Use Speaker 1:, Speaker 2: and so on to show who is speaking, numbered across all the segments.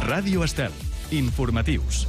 Speaker 1: Ràdio Estel. Informatius.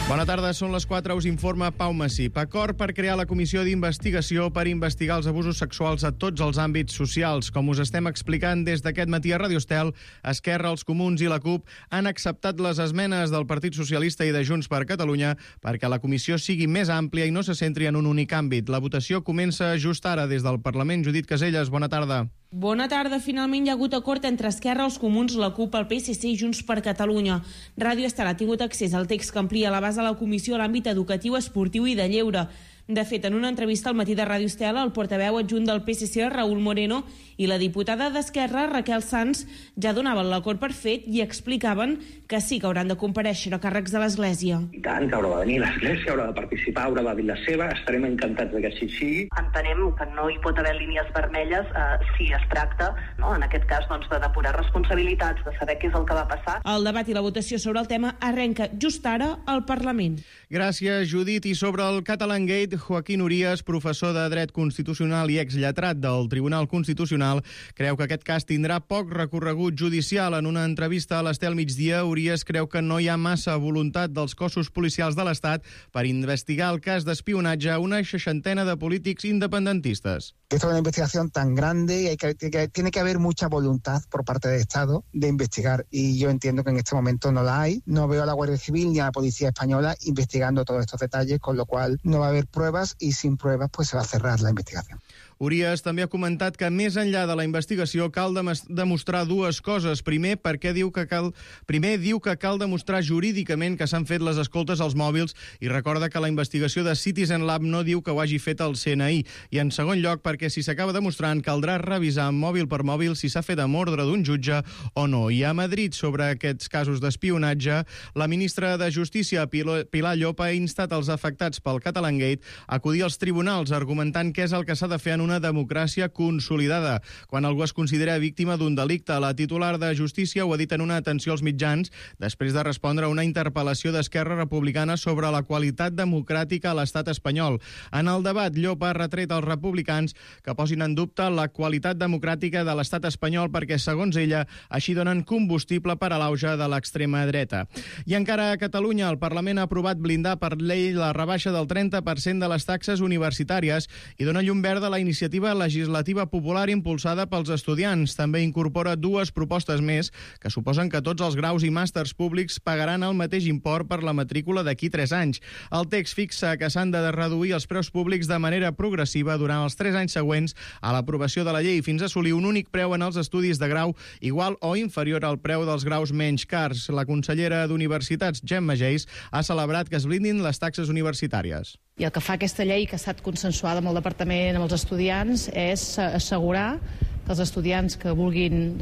Speaker 1: Bona tarda, són les 4, us informa Pau Massip. Acord per crear la comissió d'investigació per investigar els abusos sexuals a tots els àmbits socials. Com us estem explicant des d'aquest matí a Ràdio Estel, Esquerra, els Comuns i la CUP han acceptat les esmenes del Partit Socialista i de Junts per Catalunya perquè la comissió sigui més àmplia i no se centri en un únic àmbit. La votació comença just ara des del Parlament. Judit Caselles, bona tarda.
Speaker 2: Bona tarda. Finalment hi ha hagut acord entre Esquerra, els Comuns, la CUP, el PSC i Junts per Catalunya. Ràdio Estel ha tingut accés al text que amplia la base de la comissió a l'àmbit educatiu, esportiu i de lleure. De fet, en una entrevista al matí de Ràdio Estel, el portaveu adjunt del PSC, Raúl Moreno, i la diputada d'Esquerra, Raquel Sanz, ja donaven l'acord per fet i explicaven que sí que hauran de comparèixer a càrrecs de l'Església.
Speaker 3: I tant, que haurà de venir l'Església, haurà de participar, haurà de dir la seva, estarem encantats que així sigui.
Speaker 4: Entenem que no hi pot haver línies vermelles si es tracta, no, en aquest cas, de depurar responsabilitats, de saber què és el que va passar.
Speaker 2: El debat i la votació sobre el tema arrenca just ara al Parlament.
Speaker 1: Gràcies, Judit. I sobre el Catalangate, Joaquín Urías, professor de Dret Constitucional i exlletrat del Tribunal Constitucional, creu que aquest cas tindrà poc recorregut judicial. En una entrevista a l'Estel Migdia, Urías creu que no hi ha massa voluntat dels cossos policials de l'Estat per investigar el cas d'espionatge a una 60 de polítics independentistes.
Speaker 5: Esto es una investigación tan grande y tiene que haber mucha voluntad por parte del Estado de investigar, y yo entiendo que en este momento no la hay. No veo a la Guardia Civil ni a la Policía Española investigando todos estos detalles, con lo cual no va a haber pruebas y sin pruebas pues se va a cerrar la investigación.
Speaker 1: Urías també ha comentat que més enllà de la investigació cal demostrar dues coses. Primer, diu que cal demostrar jurídicament que s'han fet les escoltes als mòbils, i recorda que la investigació de Citizen Lab no diu que ho hagi fet el CNI. I en segon lloc, perquè si s'acaba demostrant, caldrà revisar mòbil per mòbil si s'ha fet amb ordre d'un jutge o no. I a Madrid, sobre aquests casos d'espionatge, la ministra de Justícia, Pilar Llop, ha instat els afectats pel Catalangate a acudir als tribunals, argumentant què és el que s'ha de fer en una democràcia consolidada quan algú es considera víctima d'un delicte. La titular de Justícia ho ha dit en una atenció als mitjans després de respondre a una interpel·lació d'Esquerra Republicana sobre la qualitat democràtica a l'estat espanyol. En el debat, Llop ha retret als republicans que posin en dubte la qualitat democràtica de l'estat espanyol perquè, segons ella, així donen combustible per a l'auge de l'extrema dreta. I encara a Catalunya, el Parlament ha aprovat blindar per llei la rebaixa del 30% de les taxes universitàries i dona llum verda a la iniciativa legislativa popular impulsada pels estudiants. També incorpora dues propostes més que suposen que tots els graus i màsters públics pagaran el mateix import per la matrícula d'aquí 3 anys. El text fixa que s'han de reduir els preus públics de manera progressiva durant els 3 anys següents a l'aprovació de la llei fins a assolir un únic preu en els estudis de grau igual o inferior al preu dels graus menys cars. La consellera d'Universitats, Gemma Geis, ha celebrat que es blindin les taxes universitàries.
Speaker 6: I el que fa aquesta llei, que ha estat consensuada amb el departament, amb els estudiants, és assegurar que els estudiants que vulguin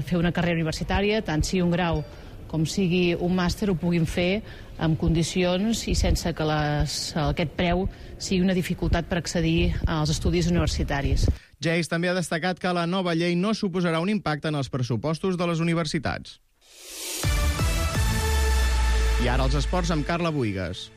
Speaker 6: fer una carrera universitària, tant sigui un grau com sigui un màster, ho puguin fer en condicions i sense que aquest preu sigui una dificultat per accedir als estudis universitaris.
Speaker 1: Geis també ha destacat que la nova llei no suposarà un impacte en els pressupostos de les universitats. I ara els esports amb Carla Buïgas.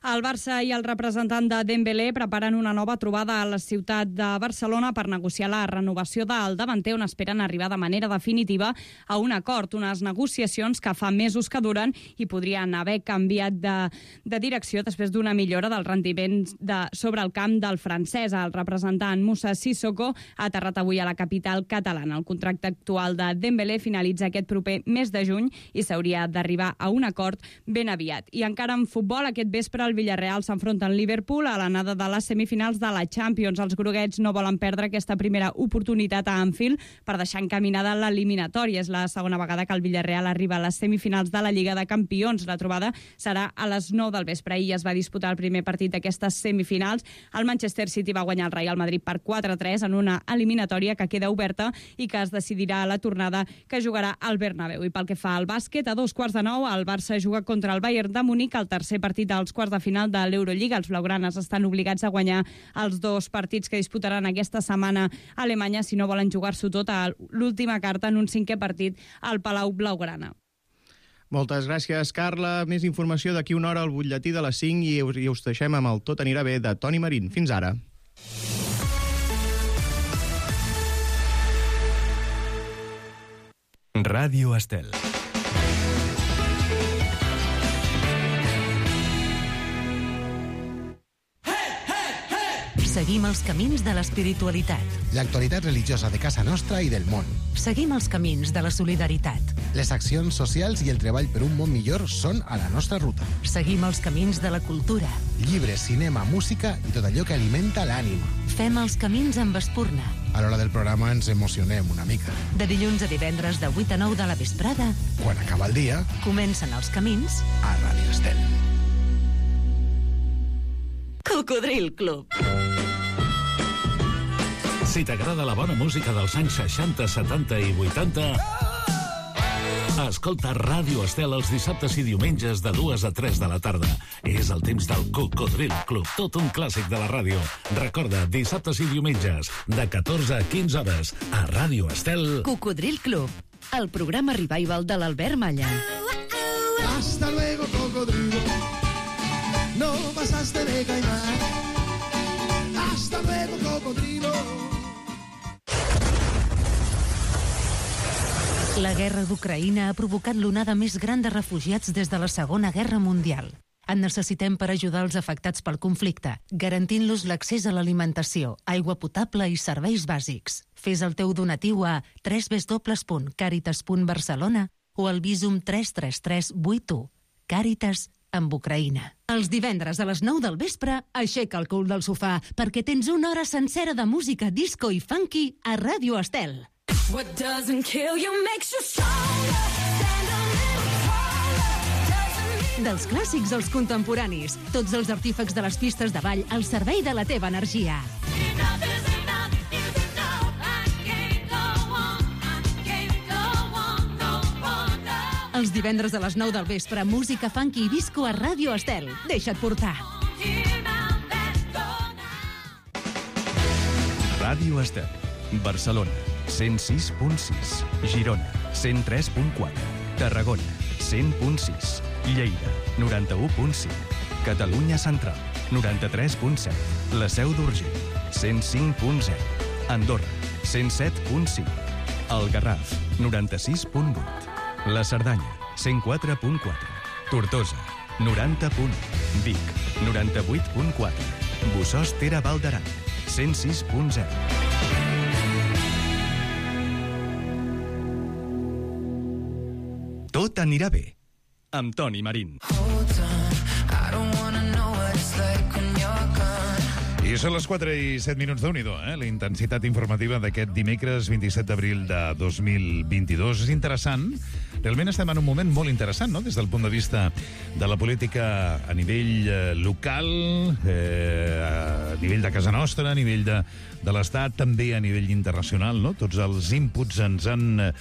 Speaker 7: El Barça i el representant de Dembélé preparen una nova trobada a la ciutat de Barcelona per negociar la renovació del davanter, on esperen arribar de manera definitiva a un acord, unes negociacions que fa mesos que duren i podrien haver canviat de direcció després d'una millora del rendiment sobre el camp del francès. El representant Moussa Sissoko ha aterrat avui a la capital catalana. El contracte actual de Dembélé finalitza aquest proper mes de juny i s'hauria d'arribar a un acord ben aviat. I encara en futbol, aquest vespre el Villarreal s'enfronta al Liverpool a l'anada de les semifinals de la Champions. Els groguets no volen perdre aquesta primera oportunitat a Anfield per deixar encaminada l'eliminatòria. És la segona vegada que el Villarreal arriba a les semifinals de la Lliga de Campions. La trobada serà a les 9 del vespre. Ahir es va disputar el primer partit d'aquestes semifinals. El Manchester City va guanyar el Real Madrid per 4-3 en una eliminatòria que queda oberta i que es decidirà a la tornada, que jugarà al Bernabéu. I pel que fa al bàsquet, a 2:45 el Barça juga contra el Bayern de Munic, el tercer partit dels quarts de final de l'Eurolliga. Els blaugranes estan obligats a guanyar els 2 partits que disputaran aquesta setmana a Alemanya si no volen jugar-s'ho tot a l'última carta en un 5è partit al Palau Blaugrana.
Speaker 1: Moltes gràcies, Carla. Més informació d'aquí una hora al butlletí de les 5 i us deixem amb el Tot anirà bé de Toni Marín. Fins ara.
Speaker 8: Ràdio Estel. Seguim els camins de l'espiritualitat.
Speaker 9: L'actualitat religiosa de casa nostra i del món.
Speaker 8: Seguim els camins de la solidaritat.
Speaker 9: Les accions socials i el treball per un món millor són a la nostra ruta.
Speaker 8: Seguim els camins de la cultura.
Speaker 9: Llibres, cinema, música i tot allò que alimenta l'ànima.
Speaker 8: Fem els camins amb espurna.
Speaker 9: A l'hora del programa ens emocionem una mica.
Speaker 8: De dilluns a divendres de 8 a 9 de la vesprada.
Speaker 9: Quan acaba el dia,
Speaker 8: comencen els camins
Speaker 9: a Ràdio Estel.
Speaker 8: Cocodril Club.
Speaker 10: Si t'agrada la bona música dels anys 60, 70 i 80... Escolta Ràdio Estel els dissabtes i diumenges de 2 a 3 de la tarda. És el temps del Cocodril Club, tot un clàssic de la ràdio. Recorda, dissabtes i diumenges, de 14 a 15 hores, a Ràdio Estel.
Speaker 8: Cocodril Club, el programa revival de l'Albert Malla.
Speaker 11: Hasta luego, cocodrilo. No pasaste de caimán. Hasta luego, cocodrilo.
Speaker 8: La guerra d'Ucraïna ha provocat l'onada més gran de refugiats des de la Segona Guerra Mundial. En necessitem per ajudar els afectats pel conflicte, garantint-los l'accés a l'alimentació, aigua potable i serveis bàsics. Fes el teu donatiu a www.caritas.barcelona o al Visum 33381. Càritas amb Ucraïna. Els divendres a les 9 del vespre, aixeca el cul del sofà perquè tens una hora sencera de música disco i funky a Ràdio Estel.
Speaker 12: What doesn't kill you makes you stronger. Stand a little taller.
Speaker 8: Dels clàssics als contemporanis, tots els artífecs de les pistes de ball al servei de la teva energia.
Speaker 12: Enough is enough is enough. I can't go on. I can't go on no more.
Speaker 8: Els divendres a les 9 del vespre, música funky i disco a Ràdio Estel. Deixa't portar.
Speaker 13: Ràdio Estel, Barcelona, 106.6, Girona, 103.4, Tarragona, 100.6, Lleida, 91.5, Catalunya Central, 93.7, la Seu d'Urgell, 105.0, Andorra, 107.5, el Garraf, 96.8, la Cerdanya, 104.4, Tortosa, 90.1, Vic, 98.4, Bossòst-Tere Val d'Aran, 106.0. Tot anirà bé, amb Toni Marín.
Speaker 14: I són les 4 i 7 minuts, Déu-n'hi-do, la intensitat informativa d'aquest dimecres 27 d'abril de 2022. És interessant, realment estem en un moment molt interessant, no?, des del punt de vista de la política a nivell local, a nivell de casa nostra, a nivell de l'Estat, també a nivell internacional, no? Tots els inputs ens han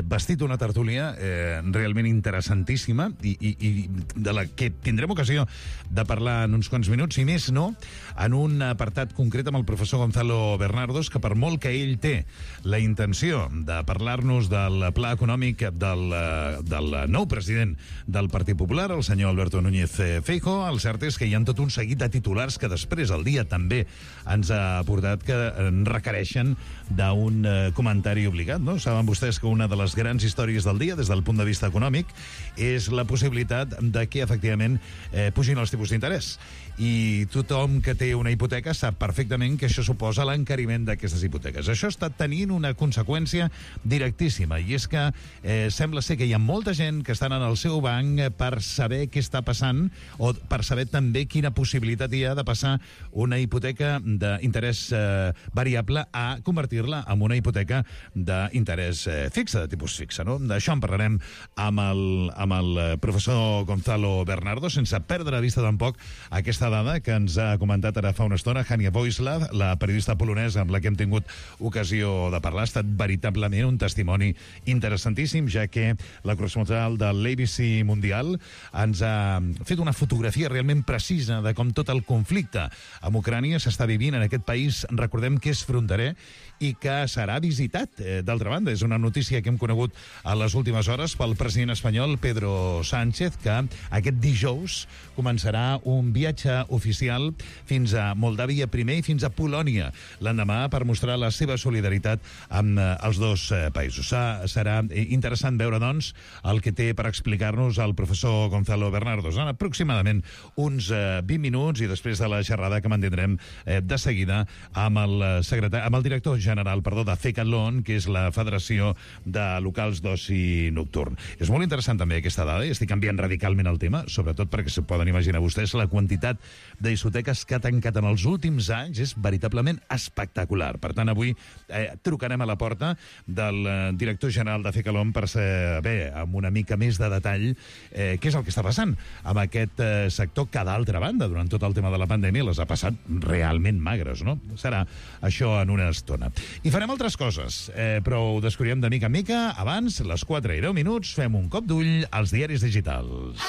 Speaker 14: vestit una tertúlia realment interessantíssima i de la que tindrem ocasió de parlar en uns quants minuts, i més no, en un apartat concret amb el professor Gonzalo Bernardos, que per molt que ell té la intenció de parlar-nos del pla econòmic del nou president del Partit Popular, el senyor Alberto Núñez Feijóo, el cert és que hi ha tot un seguit de titulars que després el dia també ens ha portat que requereixen d'un comentari obligat, no? Saben vostès que una de les grans històries del dia, des del punt de vista econòmic, és la possibilitat de que, efectivament, pugin els tipus d'interès. I tothom que té una hipoteca sap perfectament que això suposa l'encariment d'aquestes hipoteques. Això està tenint una conseqüència directíssima, i és que sembla ser que hi ha molta gent que estan en el seu banc per saber què està passant, o per saber també quina possibilitat hi ha de passar una hipoteca d'interès variable a convertir-la en una hipoteca d'interès fixe, de tipus fixe, no? D'això en parlarem amb el professor Gonzalo Bernardo, sense perdre de vista tampoc aquesta dada que ens ha comentat ara fa una estona Hania Voislav, la periodista polonesa amb la que hem tingut ocasió de parlar. Ha estat veritablement un testimoni interessantíssim, ja que la corresponsal de l'ABC Mundial ens ha fet una fotografia realment precisa de com tot el conflicte amb Ucrània s'està vivint en aquest país, recordem que és fronterer i que serà visitat. D'altra banda, és una notícia que hem conegut a les últimes hores pel president espanyol Pedro Sánchez, que aquest dijous començarà un viatge oficial fins a Moldàvia primer i fins a Polònia l'endemà per mostrar la seva solidaritat amb els dos països. Serà interessant veure, doncs, doncs, el que té per explicar-nos el professor Gonzalo Bernardo. Són aproximadament uns 20 minuts i després de la xerrada que mantindrem de seguida amb el director general de Fecalon, que és la Federació de Locals d'Oci Nocturn. És molt interessant també aquesta dada, i estic canviant radicalment el tema, sobretot perquè se poden imaginar vostès la quantitat de discoteques que ha tancat en els últims anys és veritablement espectacular. Per tant, avui trucarem a la porta del director general de Fecalon per saber amb una mica més de detall què és el que està passant amb aquest sector que, d'altra banda, durant tot el tema de la pandèmia les ha passat realment magres, no? Serà això en una estona. I farem altres coses, però ho descobrirem de mica en mica. Abans, les 4 i 10 minuts, fem un cop d'ull als diaris digitals.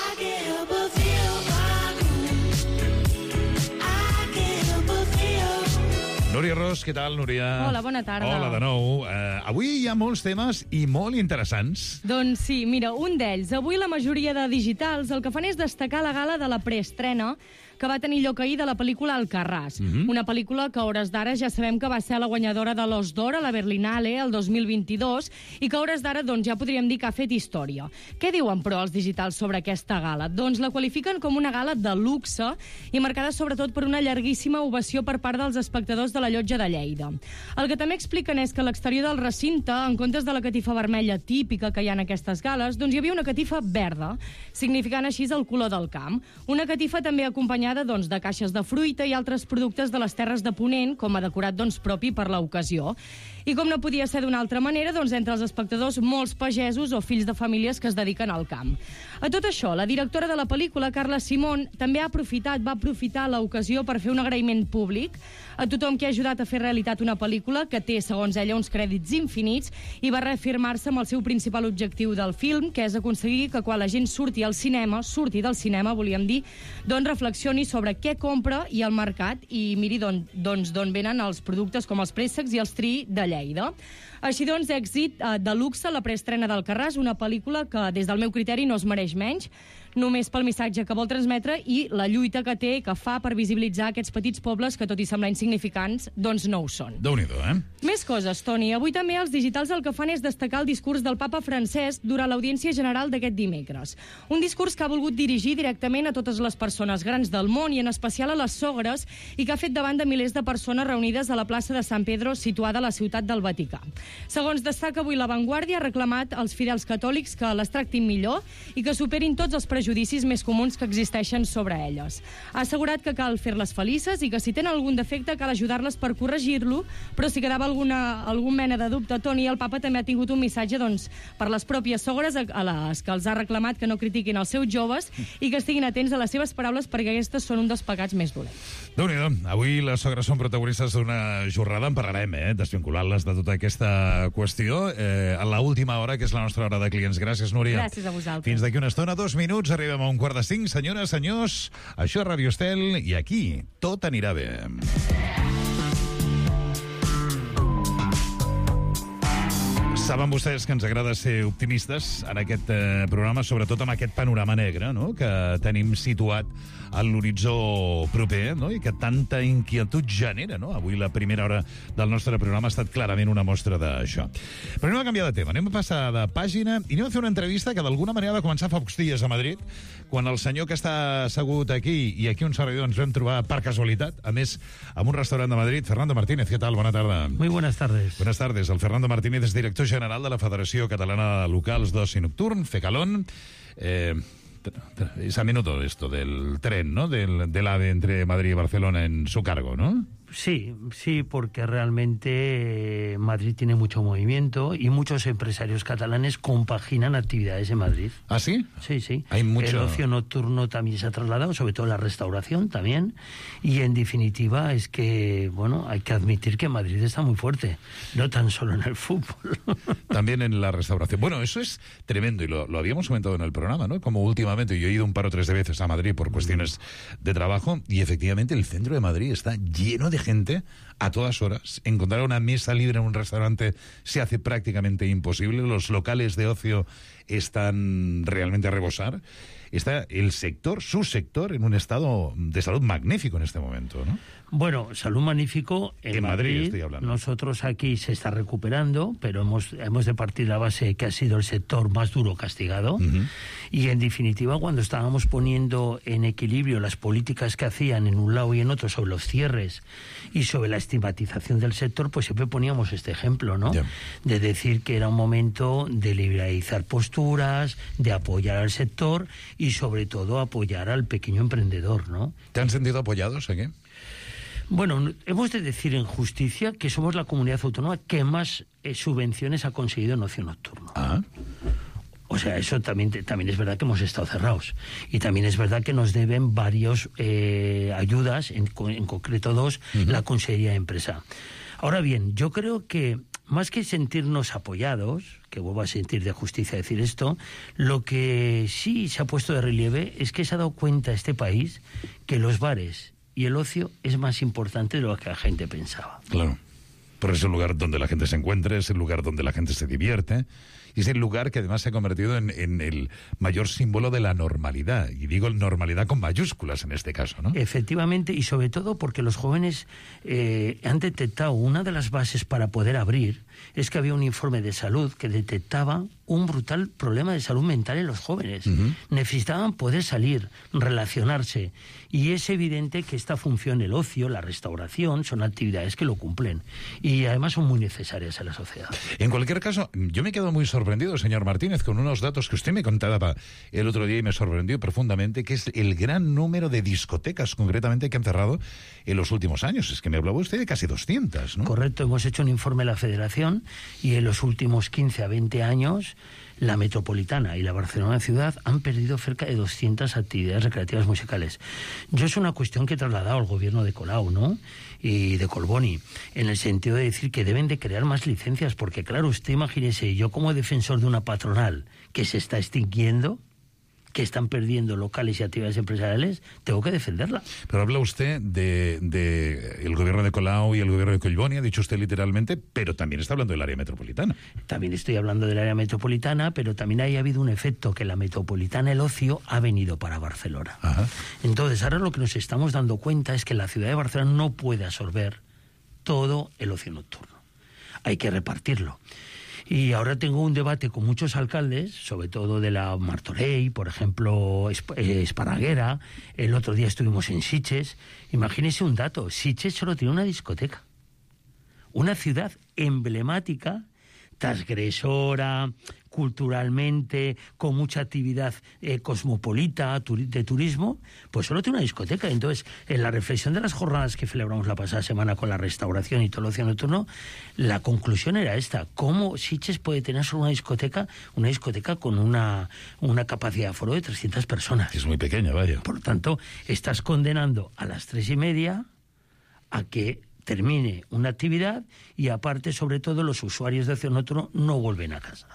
Speaker 14: Núria Ros, què tal, Núria?
Speaker 15: Hola, bona tarda.
Speaker 14: Hola de nou. Avui hi ha molts temes i molt interessants.
Speaker 15: Doncs sí, mira, un d'ells. Avui la majoria de digitals el que fan és destacar la gala de la preestrena que va tenir lloc ahir de la pel·lícula Alcarràs. Una pel·lícula que a hores d'ara ja sabem que va ser la guanyadora de l'Os d'Or a la Berlinale el 2022 i que a hores d'ara doncs, ja podríem dir que ha fet història. Què diuen, però, els digitals sobre aquesta gala? Doncs la qualifiquen com una gala de luxe i marcada sobretot per una llarguíssima ovació per part dels espectadors de la Llotja de Lleida. El que també expliquen és que a l'exterior del recinte, en comptes de la catifa vermella típica que hi ha en aquestes gales, doncs hi havia una catifa verda, significant així el color del camp. Una catifa també acompanyada de caixes de fruita i altres productes de les terres de Ponent, com a decorat propi per l'ocasió. I com no podia ser d'una altra manera, entre els espectadors molts pagesos o fills de famílies que es dediquen al camp. A tot això, la directora de la pel·lícula, Carla Simón, també va aprofitar l'ocasió per fer un agraïment públic a tothom que ha ajudat a fer realitat una pel·lícula que té, segons ella, uns crèdits infinits i va reafirmar-se amb el seu principal objectiu del film, que és aconseguir que quan la gent surti del cinema, volíem dir, doncs reflexioni sobre què compra i el mercat i miri d'on venen els productes com els préssecs i els triï de Lleida. Així doncs, èxit de luxe la preestrena d'Alcarràs, una pel·lícula que, des del meu criteri, no es mereix menys, només pel missatge que vol transmetre i la lluita que fa per visibilitzar aquests petits pobles que, tot i semblar insignificants, doncs no ho són.
Speaker 14: Déu-n'hi-do,
Speaker 15: Més coses, Toni. Avui també els digitals el que fan és destacar el discurs del papa Francesc durant l'audiència general d'aquest dimecres. Un discurs que ha volgut dirigir directament a totes les persones grans del món i en especial a les sogres i que ha fet davant de milers de persones reunides a la plaça de San Pedro, situada a la ciutat del Vaticà. Segons destaca avui La Vanguardia, ha reclamat als fidels catòlics que les tractin millor i que superin tots els prejudicis més comuns que existeixen sobre elles. Ha assegurat que cal fer-les felices i que si tenen algun defecte cal ajudar-les per corregir-lo, però si quedava algun mena de dubte, Toni, el papa també ha tingut un missatge per les pròpies sogres a les que els ha reclamat que no critiquin els seus joves i que estiguin atents a les seves paraules perquè aquestes són un dels pecats més dolents.
Speaker 14: Déu-n'hi-do. Avui les sogres són protagonistes d'una jornada, en parlarem, desvinculant-les de tota aquesta qüestió a l'última hora, que és la nostra hora de clients. Gràcies, Núria.
Speaker 15: Gràcies a vosaltres.
Speaker 14: Fins d'aquí una estona, 2 minuts, arribem a 4:45. Senyores, senyors, això és Radio Estel i aquí tot anirà bé. Saben vostès que ens agrada ser optimistes en aquest programa, sobretot amb aquest panorama negre, no?, que tenim situat a l'horitzó proper, no?, i que tanta inquietud genera, no? Avui la primera hora del nostre programa ha estat clarament una mostra d'això. Però anem a canviar de tema, anem a passar de pàgina i anem a fer una entrevista que d'alguna manera va començar fa pocs dies a Madrid, quan el senyor que està assegut aquí i aquí un servidor ens vam trobar per casualitat, a més, en un restaurant de Madrid. Fernando Martínez, ¿qué tal? Bona tarda.
Speaker 16: Muy buenas tardes.
Speaker 14: Buenas tardes. El Fernando Martínez és director general de la Federació Catalana de Locals d'Oci Nocturn, Fecalon. Es a menudo esto del tren, ¿no?, del AVE entre Madrid y Barcelona en su cargo, ¿no?
Speaker 16: Sí, porque realmente Madrid tiene mucho movimiento y muchos empresarios catalanes compaginan actividades en Madrid.
Speaker 14: ¿Ah, sí?
Speaker 16: Sí.
Speaker 14: Hay mucho...
Speaker 16: El ocio nocturno también se ha trasladado, sobre todo la restauración también, y en definitiva es que, bueno, hay que admitir que Madrid está muy fuerte, no tan solo en el fútbol.
Speaker 14: También en la restauración. Bueno, eso es tremendo y lo habíamos comentado en el programa, ¿no? Como últimamente yo he ido un par o tres de veces a Madrid por cuestiones de trabajo y efectivamente el centro de Madrid está lleno de gente a todas horas. Encontrar una mesa libre en un restaurante se hace prácticamente imposible. Los locales de ocio están realmente a rebosar. Está el sector, su sector, en un estado de salud magnífico en este momento, ¿no?
Speaker 16: Bueno, salud magnífico en
Speaker 14: Madrid estoy hablando.
Speaker 16: Nosotros aquí se está recuperando, pero hemos de partir de la base que ha sido el sector más duro castigado. Y en definitiva, cuando estábamos poniendo en equilibrio las políticas que hacían en un lado y en otro sobre los cierres y sobre la estigmatización del sector, pues siempre poníamos este ejemplo, ¿no? De decir que era un momento de liberalizar posturas, de apoyar al sector y sobre todo apoyar al pequeño emprendedor, ¿no?
Speaker 14: ¿Te han sentido apoyados aquí?
Speaker 16: Bueno, hemos de decir en justicia que somos la comunidad autónoma que más subvenciones ha conseguido en ocio nocturno. O sea, eso también es verdad que hemos estado cerrados. Y también es verdad que nos deben varios ayudas, en concreto 2, la Consejería de Empresa. Ahora bien, yo creo que más que sentirnos apoyados, que vuelvo a sentir de justicia decir esto, lo que sí se ha puesto de relieve es que se ha dado cuenta este país que los bares y el ocio es más importante de lo que la gente pensaba.
Speaker 14: Claro, porque es el lugar donde la gente se encuentra, es el lugar donde la gente se divierte, y es el lugar que además se ha convertido en el mayor símbolo de la normalidad, y digo normalidad con mayúsculas en este caso, ¿no?
Speaker 16: Efectivamente, y sobre todo porque los jóvenes han detectado una de las bases para poder abrir, es que había un informe de salud que detectaba un brutal problema de salud mental en los jóvenes. Necesitaban poder salir, relacionarse, y es evidente que esta función, el ocio, la restauración, son actividades que lo cumplen, y además son muy necesarias a la sociedad.
Speaker 14: En cualquier caso, yo me he quedado muy sorprendido, señor Martínez, con unos datos que usted me contaba el otro día y me sorprendió profundamente, que es el gran número de discotecas, concretamente, que han cerrado en los últimos años. Es que me hablaba usted de casi 200, ¿no?
Speaker 16: Correcto, hemos hecho un informe de la Federación y en los últimos 15 a 20 años la Metropolitana y la Barcelona Ciudad han perdido cerca de 200 actividades recreativas musicales. Yo es una cuestión que he trasladado al gobierno de Colau, ¿no?, y de Colboni, en el sentido de decir que deben de crear más licencias, porque claro, usted imagínese, yo como defensor de una patronal que se está extinguiendo, que están perdiendo locales y actividades empresariales, tengo que defenderla.
Speaker 14: Pero habla usted de el gobierno de Colau y el gobierno de Collboni, ha dicho usted literalmente, pero también está hablando del área metropolitana.
Speaker 16: También estoy hablando del área metropolitana, pero también ha habido un efecto que la metropolitana, el ocio, ha venido para Barcelona. Entonces, ahora lo que nos estamos dando cuenta es que la ciudad de Barcelona no puede absorber todo el ocio nocturno. Hay que repartirlo. Y ahora tengo un debate con muchos alcaldes, sobre todo de la Martorell, por ejemplo, Esparraguera. El otro día estuvimos en Sitges. Imagínense un dato, Sitges solo tiene una discoteca. Una ciudad emblemática, transgresora, culturalmente, con mucha actividad cosmopolita, de turismo, pues solo tiene una discoteca. Entonces, en la reflexión de las jornadas que celebramos la pasada semana con la restauración y todo el ocio nocturno, la conclusión era esta: ¿cómo Sitges puede tener solo una discoteca con una capacidad de aforo de 300 personas?
Speaker 14: Es muy pequeña, vaya.
Speaker 16: Por lo tanto, estás condenando a las 3:30 a que termine una actividad y aparte, sobre todo, los usuarios de ocio nocturno no vuelven a casa.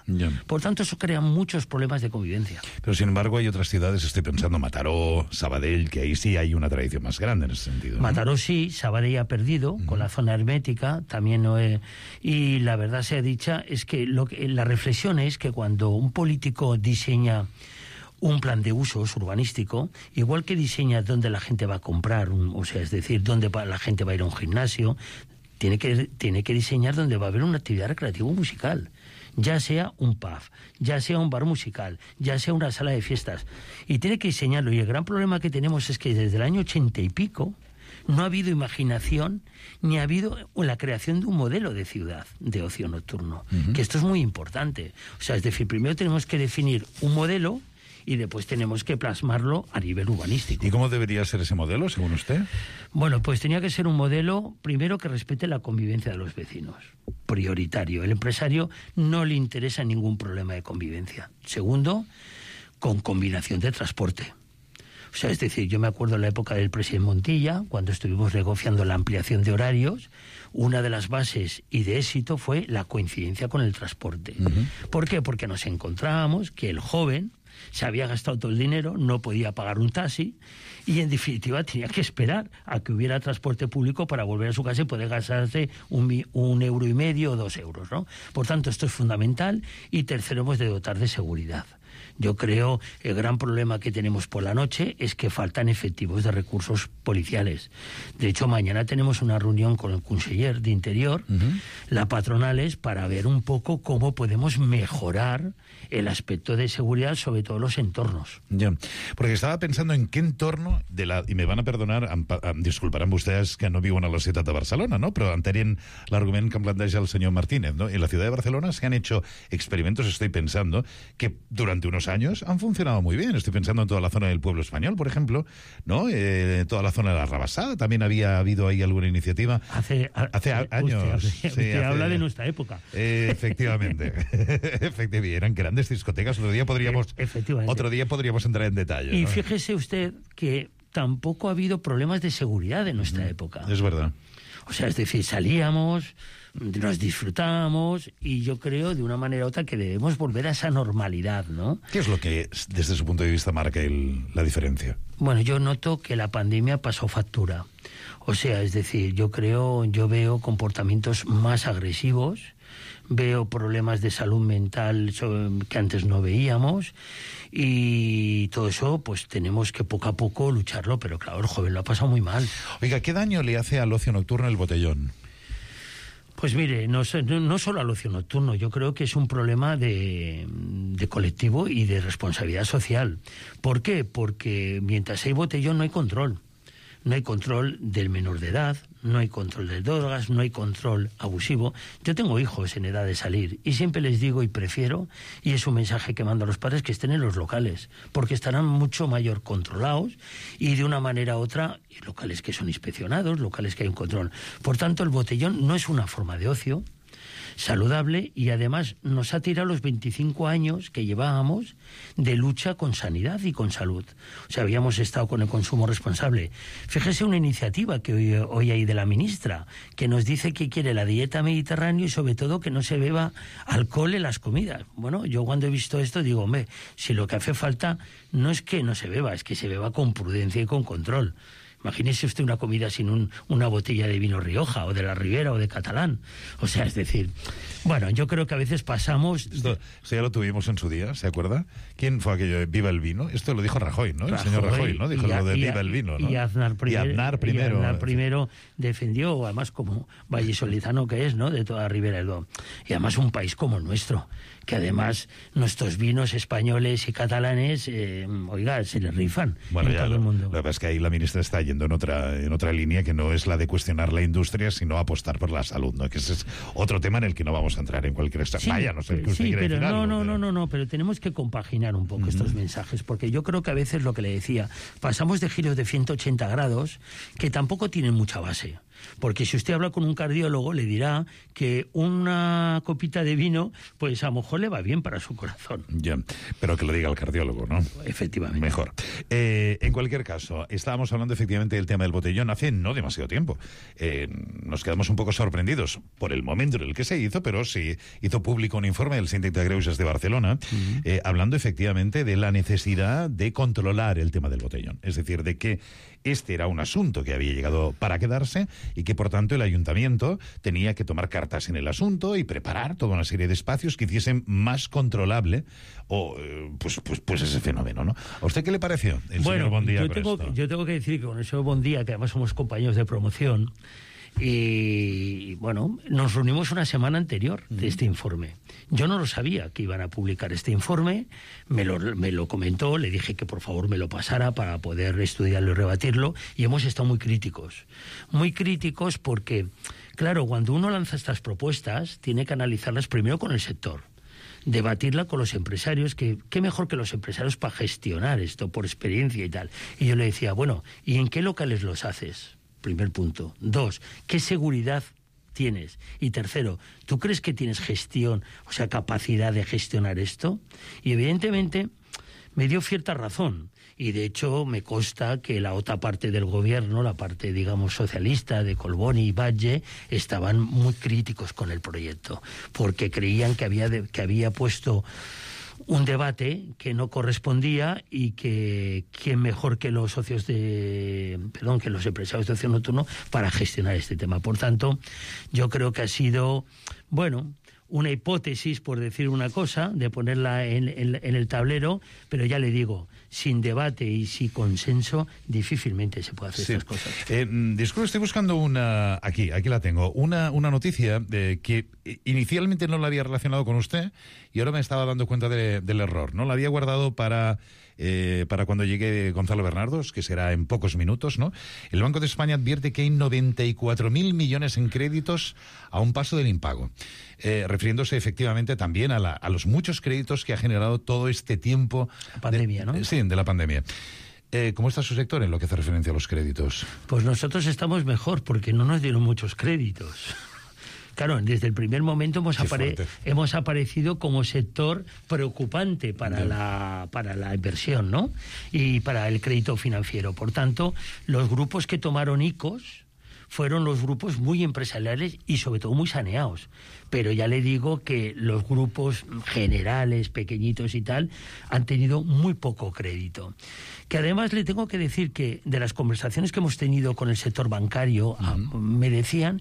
Speaker 16: Por tanto, eso crea muchos problemas de convivencia.
Speaker 14: Pero sin embargo hay otras ciudades, estoy pensando Mataró, Sabadell, que ahí sí hay una tradición más grande en ese sentido, ¿no?
Speaker 16: Mataró sí, Sabadell ha perdido con la zona hermética, también y la verdad sea dicha es que la reflexión es que cuando un político diseña un plan de usos urbanístico, igual que diseña dónde la gente va a comprar, o sea, es decir, dónde la gente va a ir a un gimnasio, tiene que diseñar dónde va a haber una actividad recreativa musical, ya sea un pub, ya sea un bar musical, ya sea una sala de fiestas, y tiene que diseñarlo. Y el gran problema que tenemos es que desde el año 80 y pico no ha habido imaginación ni ha habido la creación de un modelo de ciudad de ocio nocturno, que esto es muy importante. O sea, es decir, primero tenemos que definir un modelo y después tenemos que plasmarlo a nivel urbanístico.
Speaker 14: ¿Y cómo debería ser ese modelo, según usted?
Speaker 16: Bueno, pues tenía que ser un modelo, primero, que respete la convivencia de los vecinos, prioritario. El empresario no le interesa ningún problema de convivencia. Segundo, con combinación de transporte. O sea, es decir, yo me acuerdo en la época del presidente Montilla, cuando estuvimos negociando la ampliación de horarios, una de las bases y de éxito fue la coincidencia con el transporte. ¿Por qué? Porque nos encontrábamos que el joven se había gastado todo el dinero, no podía pagar un taxi y en definitiva tenía que esperar a que hubiera transporte público para volver a su casa y poder gastarse un euro y medio o 2 euros, ¿no? Por tanto, esto es fundamental. Y tercero, hemos de dotar de seguridad. Yo creo el gran problema que tenemos por la noche es que faltan efectivos de recursos policiales. De hecho, mañana tenemos una reunión con el conseller de Interior, la patronales, para ver un poco cómo podemos mejorar el aspecto de seguridad, sobre todo los entornos.
Speaker 14: Ya, porque estaba pensando en qué entorno y me van a perdonar, disculparan vostès que no viuen a la ciutat de Barcelona, ¿no? Pero entenent l'argument que em planteja el señor Martínez, ¿no? En la ciudad de Barcelona se han hecho experimentos, estoy pensando, que durante unos años han funcionado muy bien. Estoy pensando en toda la zona del Pueblo Español, por ejemplo, ¿no? Toda la zona de la Rabasada, también había habido ahí alguna iniciativa.
Speaker 16: Hace
Speaker 14: años.
Speaker 16: Usted habla de nuestra época.
Speaker 14: Efectivamente. Efectivamente. Eran grandes discotecas. Otro día podríamos entrar en detalle.
Speaker 16: Y
Speaker 14: ¿no?
Speaker 16: fíjese usted que tampoco ha habido problemas de seguridad en nuestra época.
Speaker 14: Es verdad.
Speaker 16: O sea, es decir, salíamos, nos disfrutábamos y yo creo de una manera u otra que debemos volver a esa normalidad, ¿no?
Speaker 14: ¿Qué es lo que desde su punto de vista marca la diferencia?
Speaker 16: Bueno, yo noto que la pandemia pasó factura. O sea, es decir, yo veo comportamientos más agresivos, veo problemas de salud mental que antes no veíamos y todo eso pues tenemos que poco a poco lucharlo, pero claro, el joven lo ha pasado muy mal.
Speaker 14: Oiga, ¿qué daño le hace al ocio nocturno el botellón?
Speaker 16: Pues mire, no solo al ocio nocturno, yo creo que es un problema de colectivo y de responsabilidad social. ¿Por qué? Porque mientras hay botellón no hay control. No hay control del menor de edad, no hay control de drogas, no hay control abusivo. Yo tengo hijos en edad de salir y siempre les digo y prefiero, y es un mensaje que mando a los padres, que estén en los locales, porque estarán mucho mayor controlados y de una manera u otra, locales que son inspeccionados, locales que hay un control. Por tanto, el botellón no es una forma de ocio saludable y además nos ha tirado los 25 años que llevábamos de lucha con sanidad y con salud. O sea, habíamos estado con el consumo responsable. Fíjese una iniciativa que hoy hay de la ministra, que nos dice que quiere la dieta mediterránea y sobre todo que no se beba alcohol en las comidas. Bueno, yo cuando he visto esto digo, hombre, si lo que hace falta no es que no se beba, es que se beba con prudencia y con control. Imagínese usted una comida sin una botella de vino Rioja, o de la Ribera, o de Catalán. O sea, es decir, bueno, yo creo que a veces pasamos...
Speaker 14: Esto ya lo tuvimos en su día, ¿se acuerda? ¿Quién fue aquello de Viva el vino? Esto lo dijo Rajoy, ¿no? El señor Rajoy, ¿no? Dijo lo de Viva el vino, ¿no?
Speaker 16: Y Aznar primero defendió, además como vallisolizano que es, ¿no? De toda Ribera del Duero. Y además un país como el nuestro, que además nuestros vinos españoles y catalanes, oiga, se les rifan en todo el mundo.
Speaker 14: Lo que pasa es que ahí la ministra está yendo en otra línea que no es la de cuestionar la industria, sino apostar por la salud, ¿no? Que ese es otro tema en el que no vamos a entrar en cualquier extremo.
Speaker 16: Sí,
Speaker 14: vaya, no sé qué usted quiere
Speaker 16: pero
Speaker 14: decir algo,
Speaker 16: no, pero tenemos que compaginar un poco estos mensajes, porque yo creo que a veces lo que le decía, pasamos de giros de 180 grados que tampoco tienen mucha base. Porque si usted habla con un cardiólogo le dirá que una copita de vino pues a lo mejor le va bien para su corazón.
Speaker 14: Ya, pero que lo diga el cardiólogo, ¿no?
Speaker 16: Efectivamente.
Speaker 14: Mejor. En cualquier caso, estábamos hablando efectivamente del tema del botellón hace no demasiado tiempo. Nos quedamos un poco sorprendidos por el momento en el que se hizo, pero sí hizo público un informe del Síndic de Greuges de Barcelona hablando efectivamente de la necesidad de controlar el tema del botellón. Es decir, de que este era un asunto que había llegado para quedarse y que, por tanto, el ayuntamiento tenía que tomar cartas en el asunto y preparar toda una serie de espacios que hiciesen más controlable pues ese fenómeno, ¿no? ¿A usted qué le pareció, el señor Bondía?
Speaker 16: Yo tengo que decir que con el señor Bondía, que además somos compañeros de promoción, y bueno, nos reunimos una semana anterior de este informe. Yo no lo sabía que iban a publicar este informe, me lo comentó, le dije que por favor me lo pasara para poder estudiarlo y rebatirlo, y hemos estado muy críticos porque, claro, cuando uno lanza estas propuestas tiene que analizarlas primero con el sector, debatirla con los empresarios, que qué mejor que los empresarios para gestionar esto por experiencia y tal. Y yo le decía, bueno, ¿y en qué locales los haces? Primer punto. 2, ¿qué seguridad tienes? Y tercero, ¿tú crees que tienes gestión, o sea, capacidad de gestionar esto? Y evidentemente me dio cierta razón. Y de hecho me consta que la otra parte del gobierno, la parte, digamos, socialista de Colboni y Batlle, estaban muy críticos con el proyecto, porque creían que había puesto un debate que no correspondía y que quién mejor que los socios que los empresarios de ocio nocturno para gestionar este tema. Por tanto, yo creo que ha sido, bueno, una hipótesis, por decir una cosa, de ponerla en el tablero, pero ya le digo, sin debate y sin consenso, difícilmente se puede hacer estas cosas.
Speaker 14: Disculpe, estoy buscando una... Aquí la tengo. Una noticia que inicialmente no la había relacionado con usted y ahora me estaba dando cuenta del error, ¿no? La había guardado para cuando llegue Gonzalo Bernardos, que será en pocos minutos, ¿no? El Banco de España advierte que hay 94.000 millones en créditos a un paso del impago, refiriéndose efectivamente también a los muchos créditos que ha generado todo este tiempo.
Speaker 16: La pandemia, ¿no?
Speaker 14: Sí, de la pandemia. ¿Cómo está su sector en lo que hace referencia a los créditos?
Speaker 16: Pues nosotros estamos mejor porque no nos dieron muchos créditos. Claro, desde el primer momento hemos aparecido como sector preocupante para la inversión, ¿no? Y para el crédito financiero. Por tanto, los grupos que tomaron ICOs fueron los grupos muy empresariales y sobre todo muy saneados. Pero ya le digo que los grupos generales, pequeñitos y tal, han tenido muy poco crédito. Que además le tengo que decir que de las conversaciones que hemos tenido con el sector bancario, me decían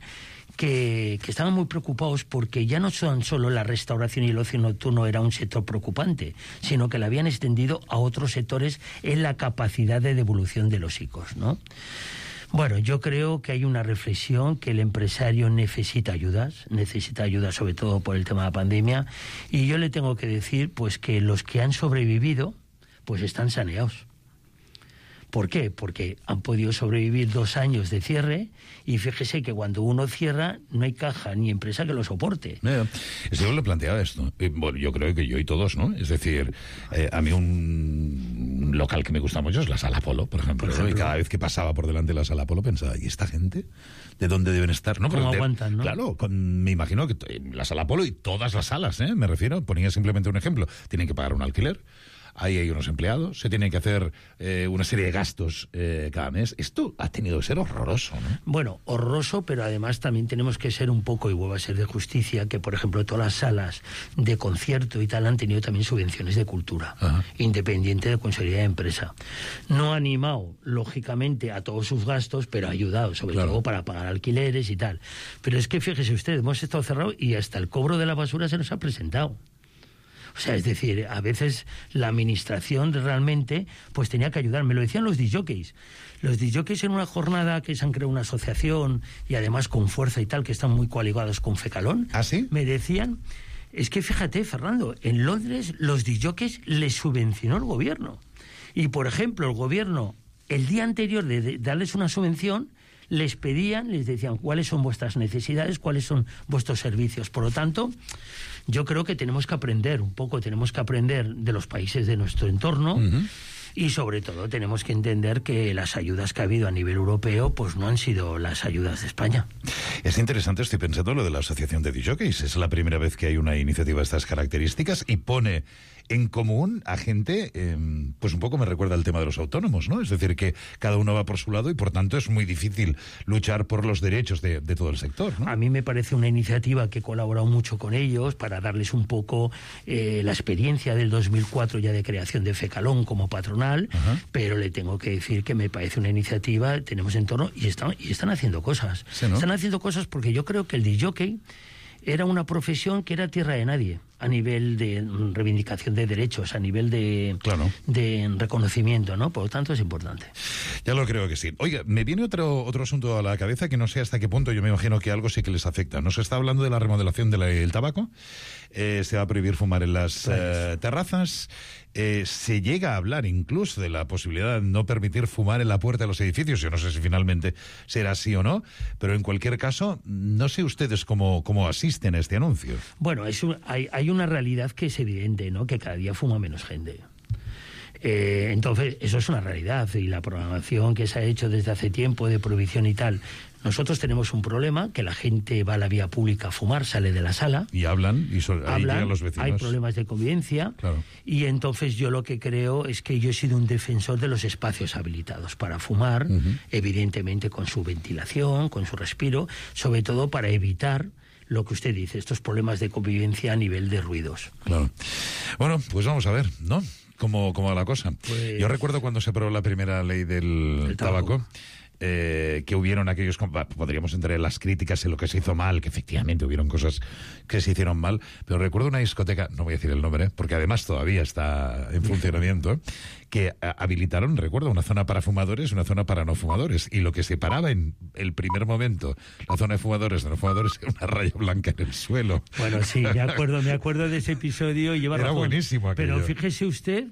Speaker 16: que estaban muy preocupados porque ya no son solo la restauración y el ocio nocturno era un sector preocupante, sino que la habían extendido a otros sectores en la capacidad de devolución de los ICOs, ¿no? Bueno, yo creo que hay una reflexión que el empresario necesita ayuda sobre todo por el tema de la pandemia, y yo le tengo que decir pues que los que han sobrevivido pues están saneados. ¿Por qué? Porque han podido sobrevivir 2 años de cierre y fíjese que cuando uno cierra no hay caja ni empresa que lo soporte.
Speaker 14: Yo le planteaba esto. Bueno, yo creo que yo y todos, ¿no? Es decir, a mí un local que me gusta mucho es la Sala Polo, por ejemplo. ¿no? Y cada vez que pasaba por delante de la Sala Polo pensaba, ¿y esta gente? ¿De dónde deben estar? ¿No?
Speaker 16: ¿Cómo aguantan, no?
Speaker 14: Claro, me imagino que la Sala Polo y todas las salas, me refiero, ponía simplemente un ejemplo, tienen que pagar un alquiler. Ahí hay unos empleados, se tienen que hacer una serie de gastos cada mes. Esto ha tenido que ser horroroso, ¿no?
Speaker 16: Bueno, horroroso, pero además también tenemos que ser un poco, y vuelvo a ser de justicia, que por ejemplo todas las salas de concierto y tal han tenido también subvenciones de cultura, independiente de Consejería de Empresa. No ha animado, lógicamente, a todos sus gastos, pero ha ayudado, sobre todo para pagar alquileres y tal. Pero es que fíjese usted, hemos estado cerrados y hasta el cobro de la basura se nos ha presentado. O sea, es decir, a veces la administración realmente pues tenía que ayudar. Me lo decían los discjockeys. Los discjockeys en una jornada que se han creado una asociación y además con fuerza y tal, que están muy coaligados con Fecalón.
Speaker 14: ¿Ah, sí?
Speaker 16: Me decían, es que fíjate, Fernando, en Londres los discjockeys les subvencionó el gobierno. Y, por ejemplo, el gobierno, el día anterior de darles una subvención, les decían cuáles son vuestras necesidades, cuáles son vuestros servicios. Por lo tanto, yo creo que tenemos que aprender de los países de nuestro entorno y sobre todo tenemos que entender que las ayudas que ha habido a nivel europeo pues no han sido las ayudas de España.
Speaker 14: Es interesante, estoy pensando lo de la Asociación de discjockeys. Es la primera vez que hay una iniciativa de estas características y pone en común a gente, pues un poco me recuerda al tema de los autónomos, ¿no? Es decir, que cada uno va por su lado y por tanto es muy difícil luchar por los derechos de todo el sector, ¿no?
Speaker 16: A mí me parece una iniciativa que he colaborado mucho con ellos para darles un poco la experiencia del 2004 ya de creación de Fecalón como patronal, pero le tengo que decir que me parece una iniciativa, tenemos en torno y están haciendo cosas.
Speaker 14: Sí, ¿no?
Speaker 16: Están haciendo cosas porque yo creo que el discjockey era una profesión que era tierra de nadie a nivel de reivindicación de derechos, a nivel de reconocimiento, ¿no? Por lo tanto, es importante.
Speaker 14: Ya lo creo que sí. Oiga, me viene otro asunto a la cabeza que no sé hasta qué punto, yo me imagino que algo sí que les afecta. Nos está hablando de la remodelación del tabaco. Se va a prohibir fumar en las terrazas. Se llega a hablar incluso de la posibilidad de no permitir fumar en la puerta de los edificios. Yo no sé si finalmente será así o no, pero en cualquier caso, no sé ustedes cómo asisten a este anuncio.
Speaker 16: Bueno, hay una realidad que es evidente, ¿no? Que cada día fuma menos gente. Entonces, eso es una realidad y la programación que se ha hecho desde hace tiempo de prohibición y tal. Nosotros tenemos un problema, que la gente va a la vía pública a fumar, sale de la sala.
Speaker 14: Y hablan, y ahí llegan los vecinos.
Speaker 16: Hay problemas de convivencia.
Speaker 14: Claro.
Speaker 16: Y entonces yo lo que creo es que yo he sido un defensor de los espacios habilitados para fumar, evidentemente con su ventilación, con su respiro, sobre todo para evitar lo que usted dice, estos problemas de convivencia a nivel de ruidos.
Speaker 14: Claro. Bueno, pues vamos a ver, ¿no? ¿Cómo va la cosa?
Speaker 16: Pues...
Speaker 14: Yo recuerdo cuando se aprobó la primera ley del tabaco, que hubieron aquellos... Podríamos entrar en las críticas en lo que se hizo mal, que efectivamente hubieron cosas que se hicieron mal, pero recuerdo una discoteca, no voy a decir el nombre, porque además todavía está en funcionamiento, que habilitaron, recuerdo, una zona para fumadores y una zona para no fumadores, y lo que separaba en el primer momento la zona de fumadores de no fumadores era una raya blanca en el suelo.
Speaker 16: Bueno, sí, me acuerdo de ese episodio y lleva
Speaker 14: Era
Speaker 16: razón.
Speaker 14: buenísimo aquello.
Speaker 16: Pero fíjese usted,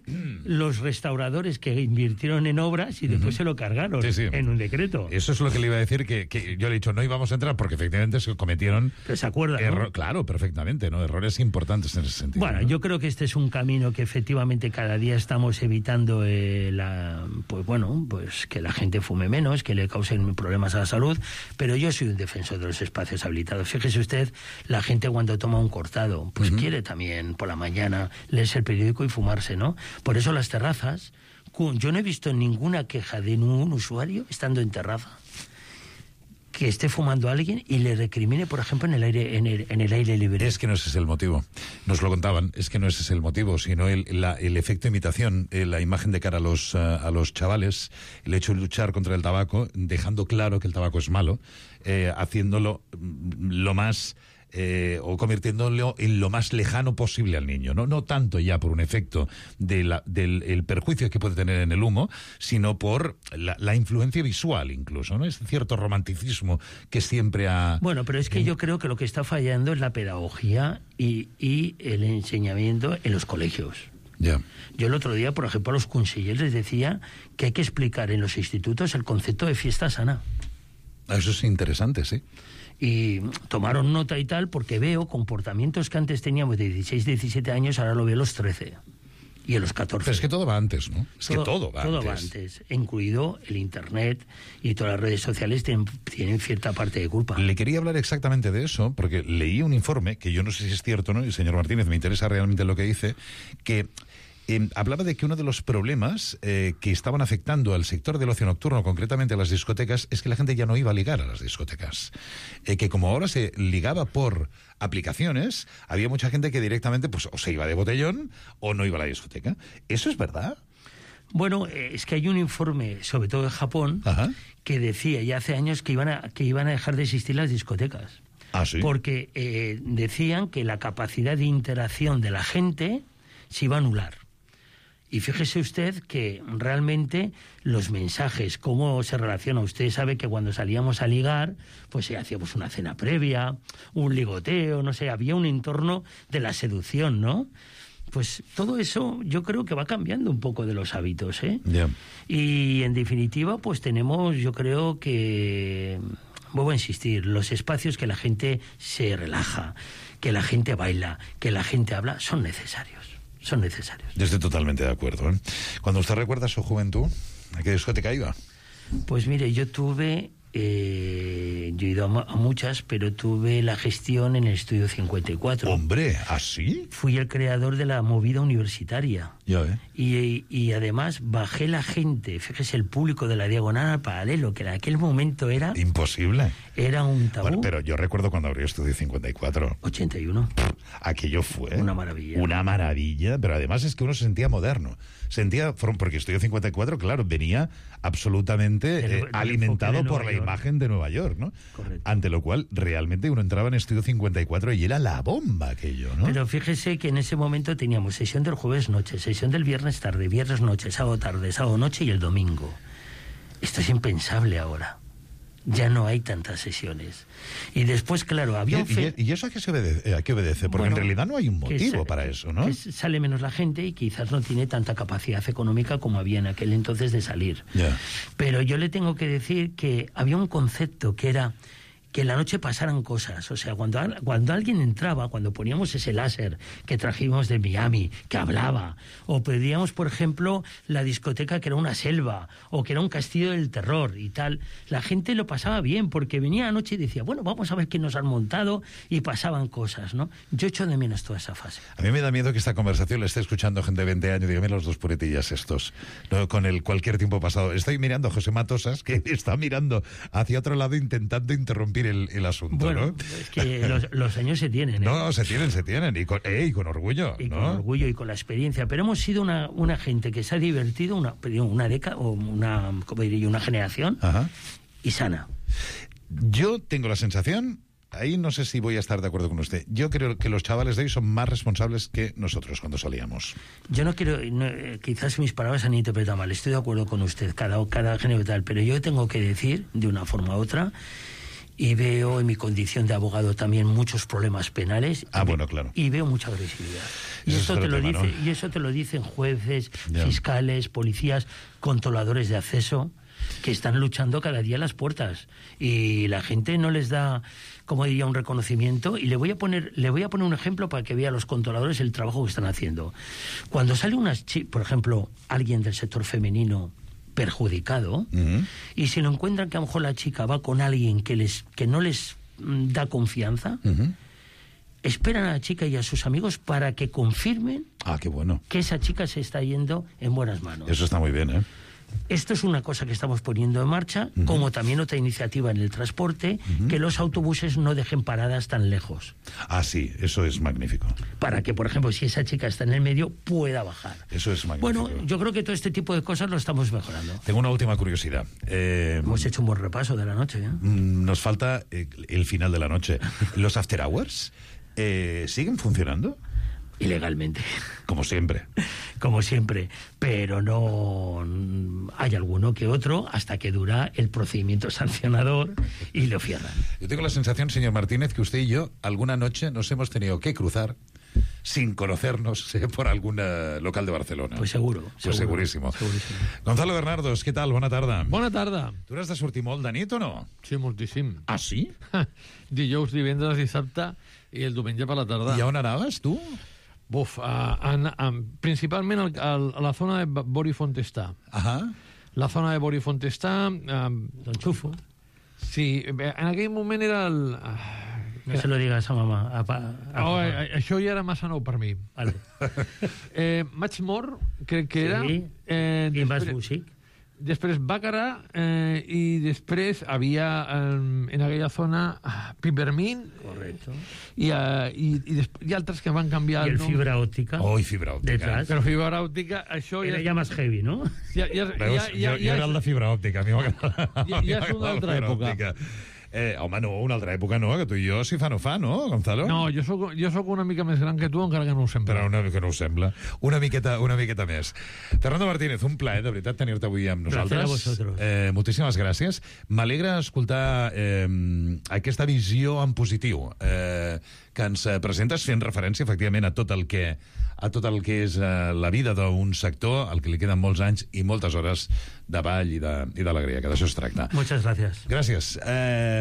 Speaker 16: los restauradores que invirtieron en obras y después se lo cargaron en un decreto.
Speaker 14: Eso es lo que le iba a decir, que yo le he dicho, no íbamos a entrar porque efectivamente se cometieron...
Speaker 16: ¿Se acuerda, no?
Speaker 14: Claro, perfectamente, ¿no? Errores importantes en ese sentido.
Speaker 16: Bueno,
Speaker 14: ¿no?
Speaker 16: yo creo que este es un camino que efectivamente cada día estamos evitando pues que la gente fume menos, que le causen problemas a la salud, pero yo soy un defensor de los espacios habilitados. Fíjese usted, la gente cuando toma un cortado, pues quiere también por la mañana leerse el periódico y fumarse, ¿no? Por eso las terrazas, yo no he visto ninguna queja de ningún usuario estando en terraza que esté fumando a alguien y le recrimine, por ejemplo, en el aire libre.
Speaker 14: Es que no ese es el motivo. Nos lo contaban. Es que no ese es el motivo, sino el efecto imitación, la imagen de cara a los chavales, el hecho de luchar contra el tabaco, dejando claro que el tabaco es malo, haciéndolo lo más... o convirtiéndolo en lo más lejano posible al niño, no tanto ya por un efecto del el perjuicio que puede tener en el humo, sino por la influencia visual incluso, ¿no? Es cierto romanticismo que siempre ha...
Speaker 16: Bueno, pero es que yo creo que lo que está fallando es la pedagogía y el enseñamiento en los colegios.
Speaker 14: Yeah.
Speaker 16: Yo el otro día, por ejemplo, a los consejeros les decía que hay que explicar en los institutos el concepto de fiesta sana.
Speaker 14: Eso es interesante, sí.
Speaker 16: Y tomaron nota y tal, porque veo comportamientos que antes teníamos de 16, 17 años, ahora lo veo a los 13 y a los 14.
Speaker 14: Pero es que todo va antes, ¿no? Es que todo va
Speaker 16: antes, incluido el Internet y todas las redes sociales tienen cierta parte de culpa.
Speaker 14: Le quería hablar exactamente de eso, porque leí un informe, que yo no sé si es cierto, ¿no? Y señor Martínez, me interesa realmente lo que dice, que... hablaba de que uno de los problemas que estaban afectando al sector del ocio nocturno, concretamente a las discotecas, es que la gente ya no iba a ligar a las discotecas. Que como ahora se ligaba por aplicaciones, había mucha gente que directamente pues o se iba de botellón o no iba a la discoteca. ¿Eso es verdad?
Speaker 16: Bueno, es que hay un informe, sobre todo de Japón, que decía ya hace años que iban a dejar de existir las discotecas.
Speaker 14: ¿Ah, sí?
Speaker 16: Porque decían que la capacidad de interacción de la gente se iba a anular. Y fíjese usted que realmente los mensajes, cómo se relaciona. Usted sabe que cuando salíamos a ligar, pues hacíamos una cena previa, un ligoteo, no sé, había un entorno de la seducción, ¿no? Pues todo eso yo creo que va cambiando un poco de los hábitos, ¿eh?
Speaker 14: Yeah.
Speaker 16: Y en definitiva, pues tenemos, yo creo que, vuelvo a insistir, los espacios que la gente se relaja, que la gente baila, que la gente habla, son necesarios. Son necesarios.
Speaker 14: Yo estoy totalmente de acuerdo, ¿eh? Cuando usted recuerda su juventud, ¿a qué discoteca iba?
Speaker 16: Pues mire, yo tuve... yo he ido a muchas, pero tuve la gestión en el Estudio 54.
Speaker 14: ¡Hombre! ¿Así?
Speaker 16: Fui el creador de la movida universitaria.
Speaker 14: Ya ve.
Speaker 16: Y además bajé la gente, fíjese, el público de la Diagonal al Paralelo, que en aquel momento era...
Speaker 14: Imposible.
Speaker 16: Era un tabú.
Speaker 14: Bueno, pero yo recuerdo cuando abrió Estudio 54.
Speaker 16: 81.
Speaker 14: Aquello fue...
Speaker 16: Una maravilla.
Speaker 14: Una maravilla, pero además es que uno se sentía moderno. Porque Estudio 54, claro, venía absolutamente alimentado por la imagen de Nueva York, ¿no?
Speaker 16: Correcto.
Speaker 14: Ante lo cual, realmente uno entraba en Estudio 54 y era la bomba aquello, ¿no?
Speaker 16: Pero fíjese que en ese momento teníamos sesión del jueves noche, sesión del viernes tarde, viernes noche, sábado tarde, sábado noche y el domingo. Esto es impensable ahora. Ya no hay tantas sesiones. Y después, claro, había
Speaker 14: ¿Y eso a qué obedece? Porque en realidad no hay un motivo para eso, ¿no?
Speaker 16: Que sale menos la gente y quizás no tiene tanta capacidad económica como había en aquel entonces de salir.
Speaker 14: Yeah.
Speaker 16: Pero yo le tengo que decir que había un concepto que era que en la noche pasaran cosas. O sea, cuando alguien entraba, cuando poníamos ese láser que trajimos de Miami, que hablaba, o pedíamos, por ejemplo, la discoteca que era una selva, o que era un castillo del terror y tal, la gente lo pasaba bien, porque venía la noche y decía, bueno, vamos a ver qué nos han montado, y pasaban cosas, ¿no? Yo echo de menos toda esa fase.
Speaker 14: A mí me da miedo que esta conversación la esté escuchando gente de 20 años, dígame los dos puretillas estos, ¿no? Con el cualquier tiempo pasado. Estoy mirando a José Matosas, que está mirando hacia otro lado intentando interrumpir el asunto,
Speaker 16: Bueno,
Speaker 14: ¿no?
Speaker 16: es que los años se tienen, ¿eh?
Speaker 14: No, se tienen, y con orgullo,
Speaker 16: Y
Speaker 14: ¿no?
Speaker 16: con orgullo y con la experiencia. Pero hemos sido una gente que se ha divertido una década, o ¿cómo diría? Una generación,
Speaker 14: Ajá.
Speaker 16: y sana.
Speaker 14: Yo tengo la sensación, ahí no sé si voy a estar de acuerdo con usted, yo creo que los chavales de hoy son más responsables que nosotros cuando salíamos.
Speaker 16: Yo no quiero, quizás mis palabras se han interpretado mal, estoy de acuerdo con usted, cada género tal, pero yo tengo que decir, de una forma u otra, y veo en mi condición de abogado también muchos problemas penales.
Speaker 14: Bueno, claro.
Speaker 16: Y veo mucha agresividad. Y
Speaker 14: Eso
Speaker 16: eso,
Speaker 14: es
Speaker 16: te
Speaker 14: otro
Speaker 16: lo
Speaker 14: tema,
Speaker 16: dice,
Speaker 14: ¿no?
Speaker 16: y eso te lo dicen jueces,
Speaker 14: Ya.
Speaker 16: fiscales, policías, controladores de acceso, que están luchando cada día a las puertas. Y la gente no les da, como diría, un reconocimiento. Y le voy a poner un ejemplo para que vea los controladores el trabajo que están haciendo. Cuando sale por ejemplo, alguien del sector femenino perjudicado, y si lo encuentran que a lo mejor la chica va con alguien que no les da confianza, esperan a la chica y a sus amigos para que confirmen
Speaker 14: Qué bueno.
Speaker 16: que esa chica se está yendo en buenas manos.
Speaker 14: Eso está muy bien, ¿eh?
Speaker 16: Esto es una cosa que estamos poniendo en marcha, como también otra iniciativa en el transporte, que los autobuses no dejen paradas tan lejos.
Speaker 14: Sí, eso es magnífico.
Speaker 16: Para que, por ejemplo, si esa chica está en el medio, pueda bajar.
Speaker 14: Eso es magnífico.
Speaker 16: Bueno, yo creo que todo este tipo de cosas lo estamos mejorando.
Speaker 14: Tengo una última curiosidad.
Speaker 16: Hemos hecho un buen repaso de la noche, ¿eh?
Speaker 14: Nos falta el final de la noche. ¿Los after hours siguen funcionando?
Speaker 16: Ilegalmente.
Speaker 14: Como siempre.
Speaker 16: Como siempre. Pero no hay alguno que otro hasta que dura el procedimiento sancionador y lo cierran.
Speaker 14: Yo tengo la sensación, señor Martínez, que usted y yo alguna noche nos hemos tenido que cruzar sin conocernos por algún local de Barcelona.
Speaker 16: Pues seguro.
Speaker 14: Segurísimo. Gonzalo Bernardos, què tal? Bona tarda.
Speaker 17: Bona tarda.
Speaker 14: Tu n'has de sortir molt de nit o no?
Speaker 17: Sí, moltíssim.
Speaker 14: Sí?
Speaker 17: Dijous, divendres, dissabte i el diumenge per la tarda.
Speaker 14: I a on anaves, tu?
Speaker 17: Principalment a la zona de Bori Fontestà. La zona de Bori Fontestà...
Speaker 16: L'enxufo.
Speaker 17: Sí, en aquell moment era el...
Speaker 16: No se lo digas a mamà.
Speaker 17: Això ja era massa nou per mi.
Speaker 16: Vale.
Speaker 17: Matchmore, crec que era.
Speaker 16: Sí, i Mas Music.
Speaker 17: Després Bàcara i després havia en aquella zona Peppermint.
Speaker 16: Correcto.
Speaker 17: I altres que van canviar
Speaker 16: I el
Speaker 17: nom.
Speaker 16: fibra òptica.
Speaker 14: Fibra òptica.
Speaker 16: Detrás.
Speaker 17: Però fibra òptica, això
Speaker 16: era ja més heavy, no?
Speaker 14: Veus, jo era el de fibra òptica. A mi m'agrada.
Speaker 17: Ja és una altra època.
Speaker 14: Home, no, una altra època no, que tu i jo si fa no fa, no, Gonzalo?
Speaker 17: No, jo soc una mica més gran que tu, encara que no ho sembla.
Speaker 14: Però una mica no ho sembla. Una miqueta més. Fernando Martínez, un plaer, de veritat, tenir-te avui amb nosaltres.
Speaker 16: Gràcies a vosaltres.
Speaker 14: Moltíssimes gràcies. M'alegra escoltar aquesta visió en positiu que ens presentes, fent referència, efectivament, a tot el que és la vida d'un sector, al que li queden molts anys i moltes hores de ball i d'alegria, que d'això es tracta.
Speaker 16: Muchas gracias.
Speaker 14: Gràcies.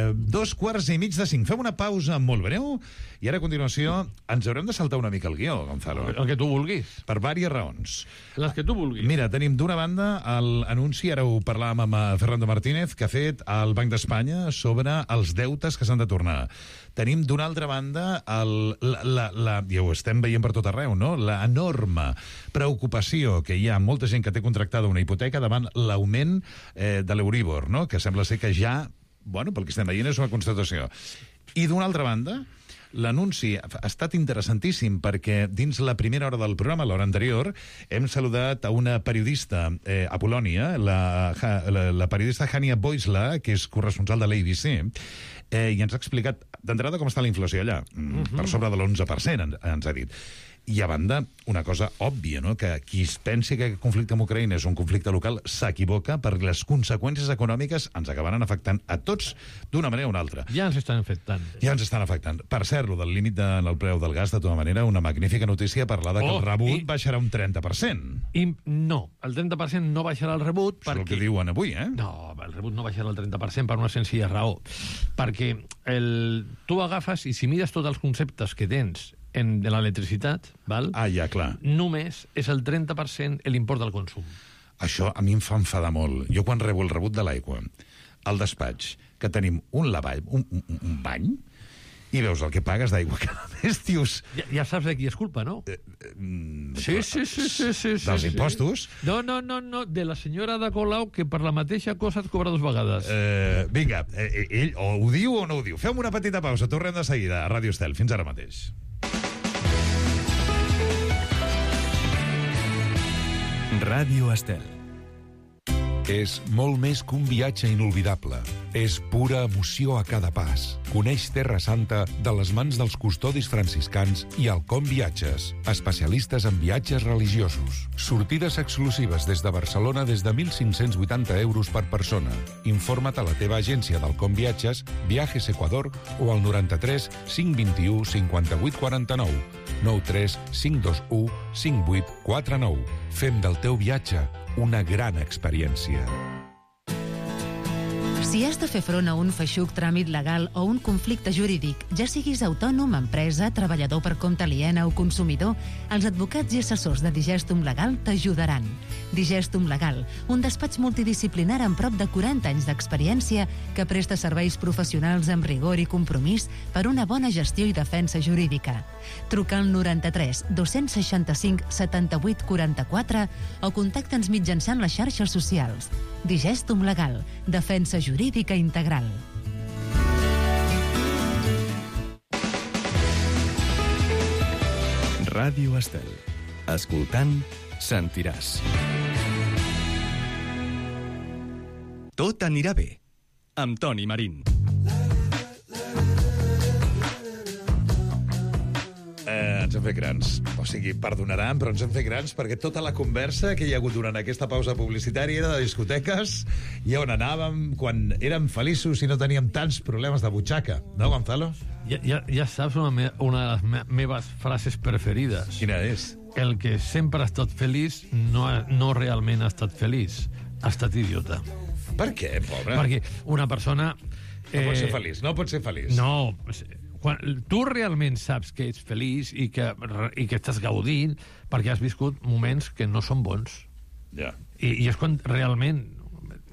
Speaker 14: 4:45. Fem una pausa molt breu i ara, a continuació, ens haurem de saltar una mica el guió, Gonzalo.
Speaker 17: El que tu vulguis.
Speaker 14: Per diverses raons.
Speaker 17: Les que tu vulguis.
Speaker 14: Mira, tenim d'una banda l'anunci, ara ho parlàvem amb Fernando Martínez, que ha fet el Banc d'Espanya sobre els deutes que s'han de tornar. Tenim d'una altra banda, ja ho estem veient per tot arreu, no? L'enorme preocupació que hi ha molta gent que té contractada una hipoteca davant l'augment de l'Euríbor, no? Que sembla ser que ja, pel que estem veient, és una constatació. I d'una altra banda, l'anunci ha estat interessantíssim perquè dins la primera hora del programa, l'hora anterior, hem saludat a una periodista a Polònia, la periodista Hania Boisla, que és corresponsal de l'ABC, i ens ha explicat d'entrada com està la inflació allà. Per sobre de l'11%, ens ha dit. I a banda, una cosa òbvia, no? Que qui es pensi que aquest conflicte amb Ucraïna és un conflicte local s'equivoca, perquè les conseqüències econòmiques ens acabaran afectant a tots d'una manera o una altra.
Speaker 17: Ja ens estan afectant.
Speaker 14: Per cert, el del límit del preu del gas, de tota manera, una magnífica notícia parlar que el rebut baixarà un 30%.
Speaker 17: No, el 30% no baixarà el rebut perquè...
Speaker 14: És el que diuen avui, eh?
Speaker 17: No, el rebut no baixarà el 30% per una senzilla raó. Perquè tu agafes i si mires tots els conceptes que tens de l'electricitat, val?
Speaker 14: Ja, clar.
Speaker 17: Només és el 30% l'import del consum.
Speaker 14: Això a mi em fa enfadar molt. Jo quan rebo el rebut de l'aigua al despatx, que tenim un lavall, un bany, i veus el que pagues d'aigua cada mes, dius...
Speaker 17: Ja saps de qui és culpa, no? Sí.
Speaker 14: Dels impostos?
Speaker 17: No, de la senyora de Colau, que per la mateixa cosa et cobra 2 vegades.
Speaker 14: Vinga, ell o ho diu o no ho diu. Fem una petita pausa, tornem de seguida a Ràdio Estel. Fins ara mateix.
Speaker 13: Ràdio Estel.
Speaker 18: És molt més que un viatge inolvidable. És pura emoció a cada pas. Coneix Terra Santa de les mans dels custodis franciscans i Alcom Viatges, especialistes en viatges religiosos. Sortides exclusives des de Barcelona des de 1.580 euros per persona. Informa't a la teva agència d'Alcom Viatges, Viajes Ecuador o al 93 521 58 49. 93 521 58 49. Fem del teu viatge una gran experiència.
Speaker 8: Si has de fer front a un feixuc tràmit legal o un conflicte jurídic, ja siguis autònom, empresa, treballador per compte aliena o consumidor, els advocats i assessors de Digestum Legal t'ajudaran. Digestum Legal, un despatx multidisciplinar amb prop de 40 anys d'experiència que presta serveis professionals amb rigor i compromís per una bona gestió i defensa jurídica. Truca al 93 265 78 44 o contacta'ns mitjançant les xarxes socials. Digestum Legal, defensa jurídica integral.
Speaker 13: Ràdio Estel. Escoltant, sentiràs. Tot anirà bé. Amb Toni Marín.
Speaker 14: Ens hem fet grans. O sigui, perdonaran, però ens hem fet grans perquè tota la conversa que hi ha hagut durant aquesta pausa publicitària era de discoteques i on anàvem quan érem feliços i no teníem tants problemes de butxaca. No, Gonzalo?
Speaker 17: Ja saps una de les meves frases preferides.
Speaker 14: Quina és?
Speaker 17: El que sempre ha estat feliç no realment ha estat feliç. Ha estat idiota.
Speaker 14: Per què, pobre?
Speaker 17: Perquè una persona...
Speaker 14: No pot ser feliç, no pot ser feliç.
Speaker 17: No, quan tu realment saps que ets feliç i que estàs gaudint perquè has viscut moments que no són bons.
Speaker 14: Ja.
Speaker 17: I és quan realment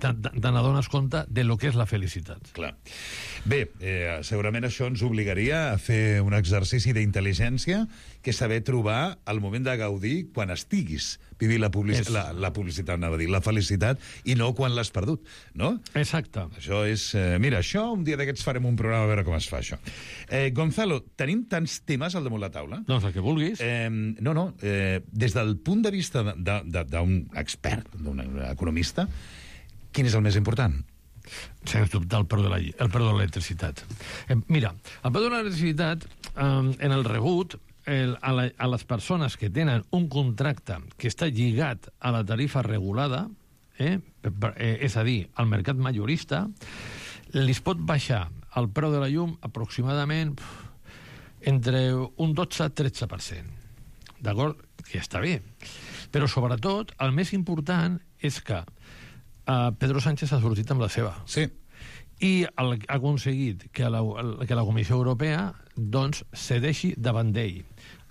Speaker 17: te n'adones compte de lo que és la felicitat.
Speaker 14: Clar. Bé, segurament això ens obligaria a fer un exercici d'intel·ligència que és saber trobar el moment de gaudir quan estiguis vivint la publicitat, anava a dir, la felicitat, i no quan l'has perdut, no?
Speaker 17: Exacte.
Speaker 14: Això és... mira, això, un dia d'aquests farem un programa a veure com es fa, això. Gonzalo, tenim tants temes al damunt la taula?
Speaker 17: Doncs el que vulguis.
Speaker 14: Des del punt de vista d'un expert, d'un economista, quin és el més important?
Speaker 17: Sens dubte, el preu de l'electricitat. Mira, el preu de l'electricitat, en el rebut, a les persones que tenen un contracte que està lligat a la tarifa regulada, és a dir, al mercat majorista, li pot baixar el preu de la llum aproximadament entre un 12-13%. D'acord? Que està bé. Però, sobretot, el més important és que Pedro Sánchez ha sortit amb la seva.
Speaker 14: Sí.
Speaker 17: I ha aconseguit que la Comissió Europea doncs cedeixi davant d'ell.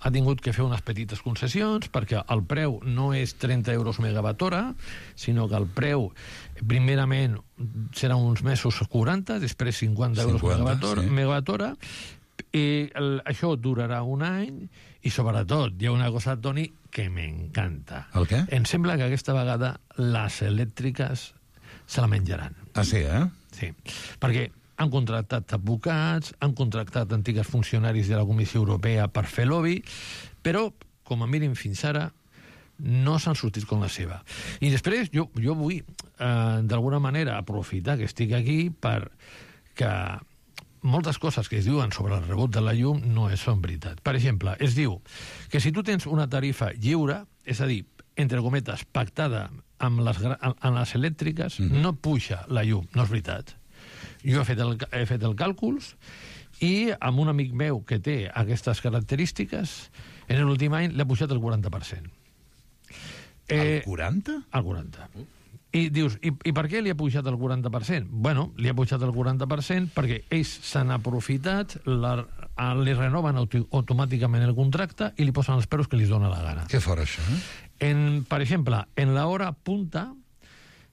Speaker 17: Ha tingut que fer unes petites concessions perquè el preu no és 30 euros megawatt hora, sinó que el preu primerament serà uns mesos 40, després 50 euros megawatt hora, i això durarà un any, i sobretot hi ha una cosa, Toni, que m'encanta.
Speaker 14: El què?
Speaker 17: Em sembla que aquesta vegada les elèctriques se la menjaran.
Speaker 14: Ah, sí,
Speaker 17: Sí, perquè han contractat advocats, han contractat antigues funcionaris de la Comissió Europea per fer lobby, però, com a mínim fins ara, no s'han sortit com la seva. I després jo vull, d'alguna manera, aprofitar que estic aquí per que moltes coses que es diuen sobre el rebut de la llum no són veritat. Per exemple, es diu que si tu tens una tarifa lliure, és a dir, entre cometes, pactada amb les elèctriques, no puja la llum. No és veritat. Jo he fet el càlculs i amb un amic meu que té aquestes característiques, en l'últim any l'ha pujat el 40%.
Speaker 14: El 40%?
Speaker 17: El 40%. I dius, i per què li ha pujat el 40%? Bueno, li ha pujat el 40% perquè ells s'han aprofitat, li renoven automàticament el contracte i li posen els preus que li dona la gana.
Speaker 14: Què fora, això?
Speaker 17: Per exemple, en l'hora punta,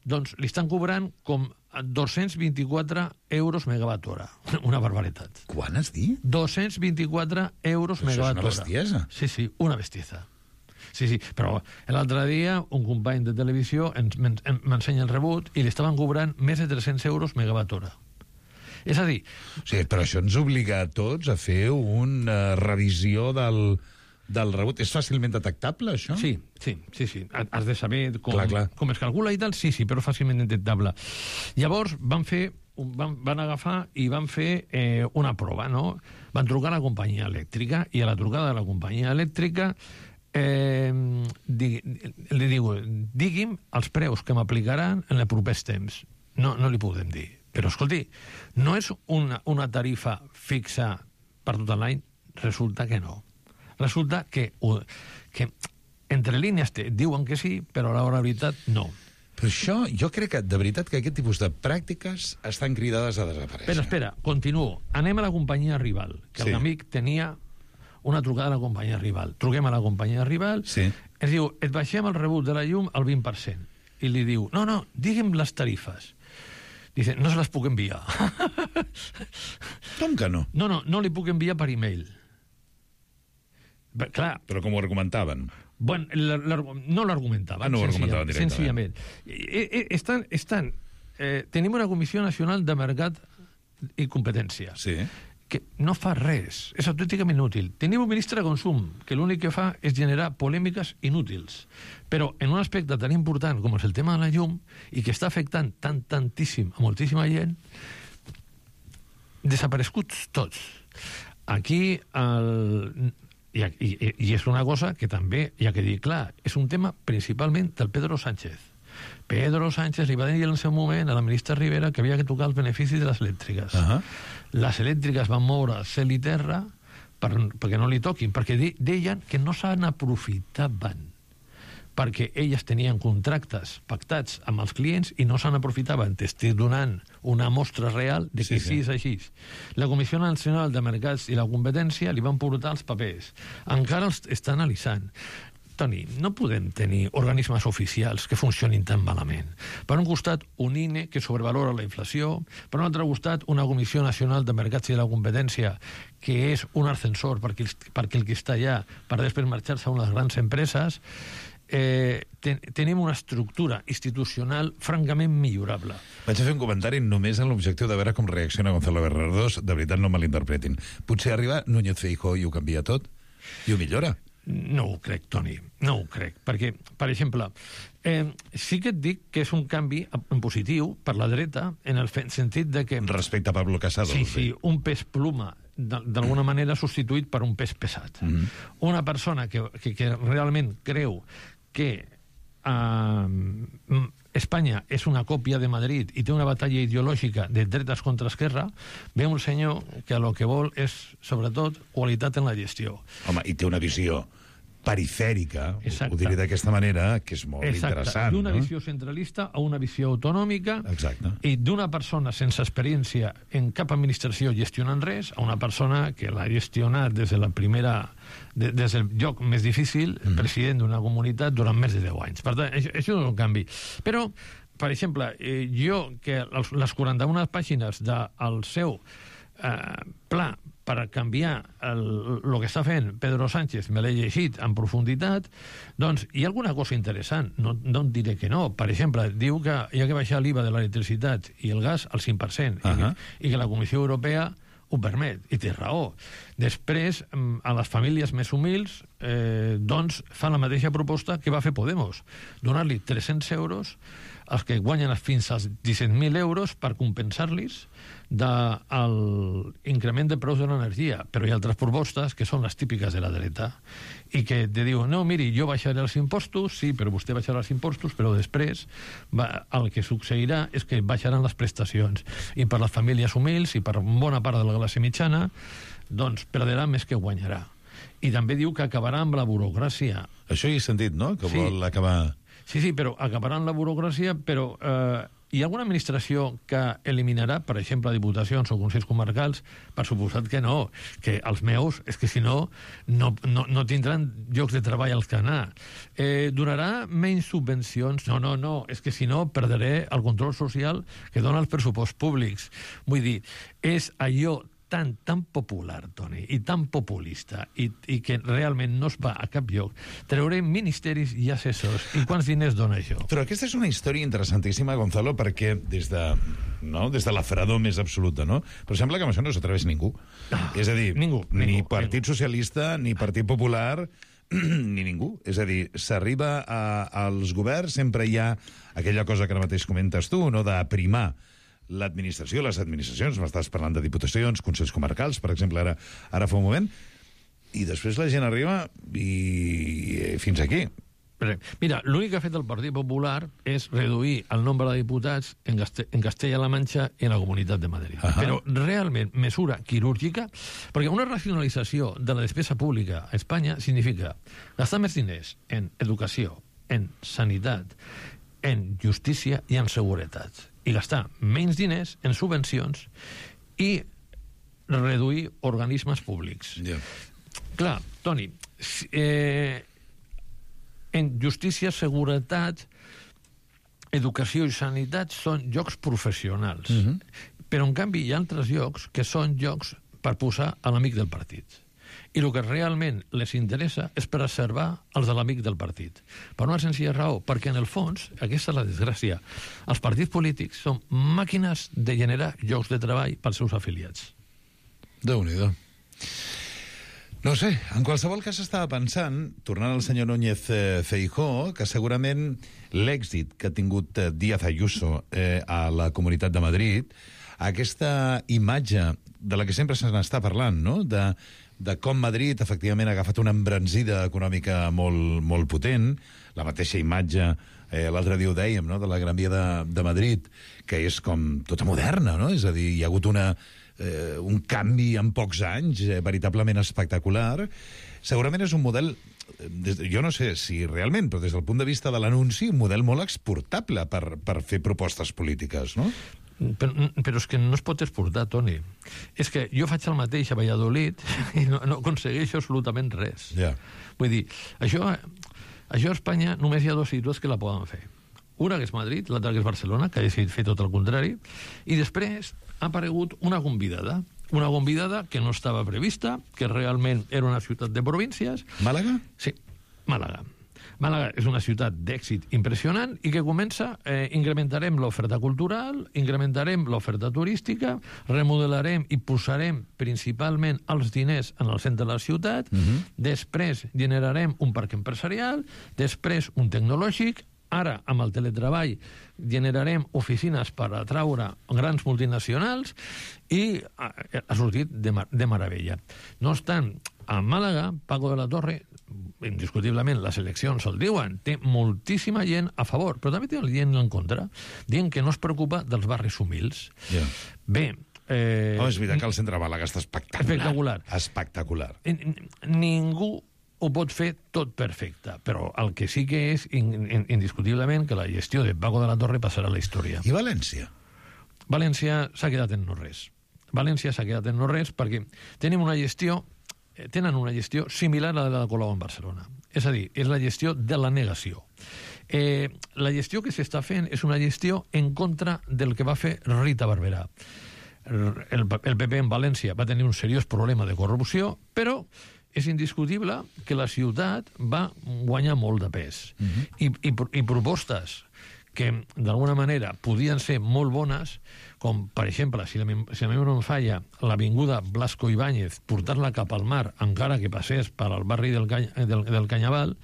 Speaker 17: doncs li estan cobrant com 224 euros megawatt hora. Una barbaritat.
Speaker 14: Quan has dit?
Speaker 17: 224 euros megawatt hora.
Speaker 14: Això és una bestiesa.
Speaker 17: Sí, una bestiesa. Sí, però l'altre dia un company de televisió m'ensenya el rebut i li estaven cobrant més de 300 euros megawatt hora. És a dir...
Speaker 14: O sigui, però això ens obliga a tots a fer una revisió del rebut. És fàcilment detectable, això?
Speaker 17: Sí. Has de saber com es calcula i tal, sí, però fàcilment detectable. Llavors van agafar i van fer una prova, no? Van trucar a la companyia elèctrica i a la trucada de la companyia elèctrica li diu, digui'm els preus que m'aplicaran en els propers temps. No li podem dir. Però, escolti, no és una tarifa fixa per tot l'any? Resulta que no. Resulta que entre línies diuen que sí, però a l'hora de veritat no.
Speaker 14: Però això, jo crec que, de veritat, que aquest tipus de pràctiques estan cridades a desaparèixer.
Speaker 17: Però espera, continuo. Anem a la companyia rival, que l'amic tenia una trucada a la companyia rival. Truquem a la companyia rival, ens diu, et baixem el rebut de la llum al 20%. I li diu, no, digue'm les tarifes. Dice, no se les puc enviar.
Speaker 14: Com que no?
Speaker 17: No li puc enviar per e-mail. Clar.
Speaker 14: Però com ho argumentaven?
Speaker 17: Bueno, no l'argumentaven.
Speaker 14: No ho argumentaven directament.
Speaker 17: Senzillament. Tenim una Comissió Nacional de Mercat i Competència.
Speaker 14: Sí.
Speaker 17: Que no fa res, és autènticament inútil. Tenim un ministre de Consum, que l'únic que fa és generar polèmiques inútils. Però en un aspecte tan important com és el tema de la llum, i que està afectant tantíssim a moltíssima gent, desapareguts tots. Aquí, i és una cosa que també hi ha que dir clar, és un tema principalment del Pedro Sánchez. Pedro Sánchez li va dir en el seu moment a la ministra Rivera que havia que tocar els beneficis de les elèctriques. Les elèctriques van moure cel i terra perquè no li toquin, perquè deien que no se n'aprofitaven, perquè elles tenien contractes pactats amb els clients i no se n'aprofitaven. T'estic donant una mostra real de que sí és així. La Comissió Nacional de Mercats i la Competència li van portar els papers. Encara els està analitzant. Toni, no podem tenir organismes oficials que funcionin tan malament. Per un costat, un INE que sobrevalora la inflació, per un altre costat, una Comissió Nacional de Mercats i de la Competència que és un ascensor perquè el que està allà per després marxar-se a unes grans empreses. Tenim una estructura institucional francament millorable.
Speaker 14: Vaig a fer un comentari només amb l'objectiu de veure com reacciona Gonzalo Bernardos. De veritat, no malinterpretin. Potser arriba Núñez Feijóo i ho canvia tot? I ho millora?
Speaker 17: No ho crec, Toni, no ho crec. Perquè, per exemple, sí que et dic que és un canvi en positiu per la dreta en el sentit de que...
Speaker 14: Respecte a Pablo Casado.
Speaker 17: Sí, un pes pluma d'alguna manera substituït per un pes pesat. Una persona que realment creu que Espanya és una còpia de Madrid i té una batalla ideològica de dretes contra esquerra, ve un senyor que el que vol és, sobretot, qualitat en la gestió.
Speaker 14: Home, i té una visió perifèrica, ho diré d'aquesta manera, que és molt interessant.
Speaker 17: D'una visió centralista a una visió autonòmica.
Speaker 14: Exacte.
Speaker 17: I d'una persona sense experiència en cap administració gestionant res a una persona que l'ha gestionat des de la primera... des del lloc més difícil, president d'una comunitat durant més de 10 anys. Per tant, això és un canvi. Però, per exemple, jo, que les 41 pàgines del seu pla per canviar el que està fent Pedro Sánchez me l'he llegit en profunditat, doncs hi ha alguna cosa interessant, no et diré que no. Per exemple, diu que hi ha que baixar l'IVA de l'electricitat i el gas al 5%, i que la Comissió Europea ho permet, i té raó. Després, a les famílies més humils, doncs, fan la mateixa proposta que va fer Podemos, donar-li 300 euros als que guanyen fins als 17.000 euros per compensar-los l'increment de preus de l'energia. Però hi ha altres propostes que són les típiques de la dreta i que te diuen, no, miri, jo baixaré els impostos, sí, però vostè baixarà els impostos, però després el que succeirà és que baixaran les prestacions, i per les famílies humils i per bona part de la classe mitjana doncs perdrà més que guanyarà. I també diu que acabarà amb la burocràcia.
Speaker 14: Això hi he sentit, no?, que vol acabar...
Speaker 17: Sí, però acabaran la burocràcia, però hi ha alguna administració que eliminarà, per exemple, diputacions o consells comarcals? Per suposat que no, que els meus, és que si no, no tindran llocs de treball als que anar. Donarà menys subvencions? No, és que si no perdré el control social que dona els pressuposts públics. Vull dir, és allò tan popular, Toni, i tan populista, i que realment no es va a cap lloc. Treurem ministeris i assessors. I quants diners dona això?
Speaker 14: Però aquesta és una història interessantíssima, Gonzalo, perquè des de la fredor més absoluta, no? Però sembla que amb això no s'atreveix ningú. És a dir, ni Partit Socialista, ni Partit Popular, ni ningú. És a dir, s'arriba als governs, sempre hi ha aquella cosa que ara mateix comentes tu, no?, d'aprimar l'administració, les administracions, m'estàs parlant de diputacions, consells comarcals, per exemple, ara fa un moment, i després la gent arriba i fins aquí.
Speaker 17: Mira, l'únic que ha fet el Partit Popular és reduir el nombre de diputats en Castella-La Manxa i en la Comunitat de Madrid. Però realment, mesura quirúrgica, perquè una racionalització de la despesa pública a Espanya significa gastar més diners en educació, en sanitat, en justícia i en seguretat, i gastar menys diners en subvencions i reduir organismes públics. Clar, Toni, en justícia, seguretat, educació i sanitat són llocs professionals. Però, en canvi, hi ha altres llocs que són llocs per posar a l'amic del partit. I el que realment les interessa és preservar els de l'amic del partit. Per una senzilla raó, perquè en el fons, aquesta és la desgràcia, els partits polítics són màquines de generar llocs de treball pels seus afiliats.
Speaker 14: Déu-n'hi-do. No sé, en qualsevol cas estava pensant, tornant al senyor Núñez Feijóo, que segurament l'èxit que ha tingut Díaz Ayuso a la Comunitat de Madrid, aquesta imatge de la que sempre se n'està parlant, no?, de com Madrid efectivament ha agafat una embranzida econòmica molt potent, la mateixa imatge, l'altre dia ho dèiem, no?, de la Gran Via de Madrid, que és com tota moderna, no?, és a dir, hi ha hagut un canvi en pocs anys veritablement espectacular. Segurament és un model, jo no sé si realment, però des del punt de vista de l'anunci, un model molt exportable per fer propostes polítiques, no?
Speaker 17: Però és que no es pot exportar, Toni. És que jo faig el mateix a Valladolid i no aconsegueixo absolutament res. Vull dir, això a Espanya només hi ha dos ciutats que la poden fer. Una que és Madrid, l'altra que és Barcelona, que ha decidit fer tot el contrari, i després ha aparegut una convidada que no estava prevista, que realment era una ciutat de províncies.
Speaker 14: Màlaga?
Speaker 17: Sí, Màlaga. Màlaga és una ciutat d'èxit impressionant i que comença, incrementarem l'oferta cultural, incrementarem l'oferta turística, remodelarem i posarem principalment els diners en el centre de la ciutat, després generarem un parc empresarial, després un tecnològic, ara amb el teletreball generarem oficines per atraure grans multinacionals i ha sortit de meravella. No obstant, a Màlaga, Paco de la Torre, indiscutiblement les eleccions el diuen, té moltíssima gent a favor, però també té gent en contra, dient que no es preocupa dels barris humils. Bé,
Speaker 14: és veritat que el centre de Màlaga està espectacular.
Speaker 17: Espectacular. Ningú ho pot fer tot perfecte, però el que sí que és indiscutiblement que la gestió de Paco de la Torre passarà a la història.
Speaker 14: I València?
Speaker 17: València s'ha quedat en no res. València s'ha quedat en no res perquè tenen una gestió similar a la de Colau en Barcelona. És a dir, és la gestió de la negació. La gestió que s'està fent és una gestió en contra del que va fer Rita Barberà. El PP en València va tenir un seriós problema de corrupció, però és indiscutible que la ciutat va guanyar molt de pes. I propostes que, d'alguna manera, podien ser molt bones, com, per exemple, si la memòria no em falla, l'avinguda Blasco Ibáñez, portar-la cap al mar, encara que passés per al barri del Canyaval,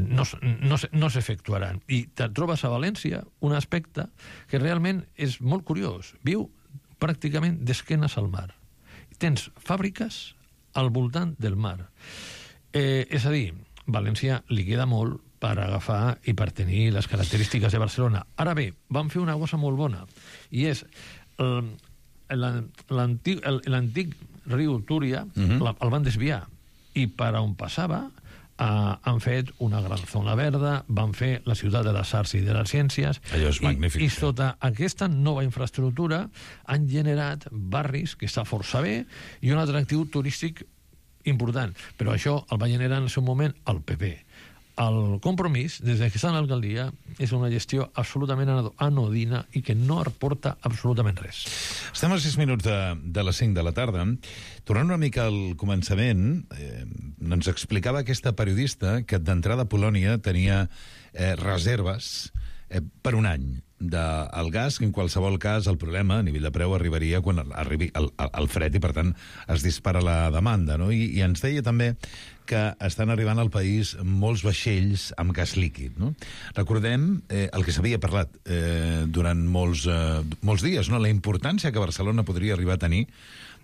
Speaker 17: no s'efectuaran. I te trobes a València un aspecte que realment és molt curiós. Viu pràcticament d'esquenes al mar. Tens fàbriques al voltant del mar. És a dir, València li queda molt per agafar i per tenir les característiques de Barcelona. Ara bé, van fer una cosa molt bona, i és l'antic riu Túria el van desviar, i per on passava han fet una gran zona verda, van fer la ciutat de les arts i de les ciències.
Speaker 14: Allò és magnífic.
Speaker 17: I sota aquesta nova infraestructura han generat barris que està força bé i un atractiu turístic important. Però això el va generar en el seu moment el PP. El Compromís, des que està en l'alcaldia, és una gestió absolutament anodina i que no aporta absolutament res.
Speaker 14: Estem a 6 minuts de les 5 de la tarda. Tornant una mica al començament, ens explicava aquesta periodista que d'entrada a Polònia tenia reserves per un any del gas, que en qualsevol cas el problema a nivell de preu arribaria quan arribi el fred i, per tant, es dispara la demanda, no? I ens deia també que estan arribant al país molts vaixells amb gas líquid, no? Recordem el que s'havia parlat durant molts dies, no? La importància que Barcelona podria arribar a tenir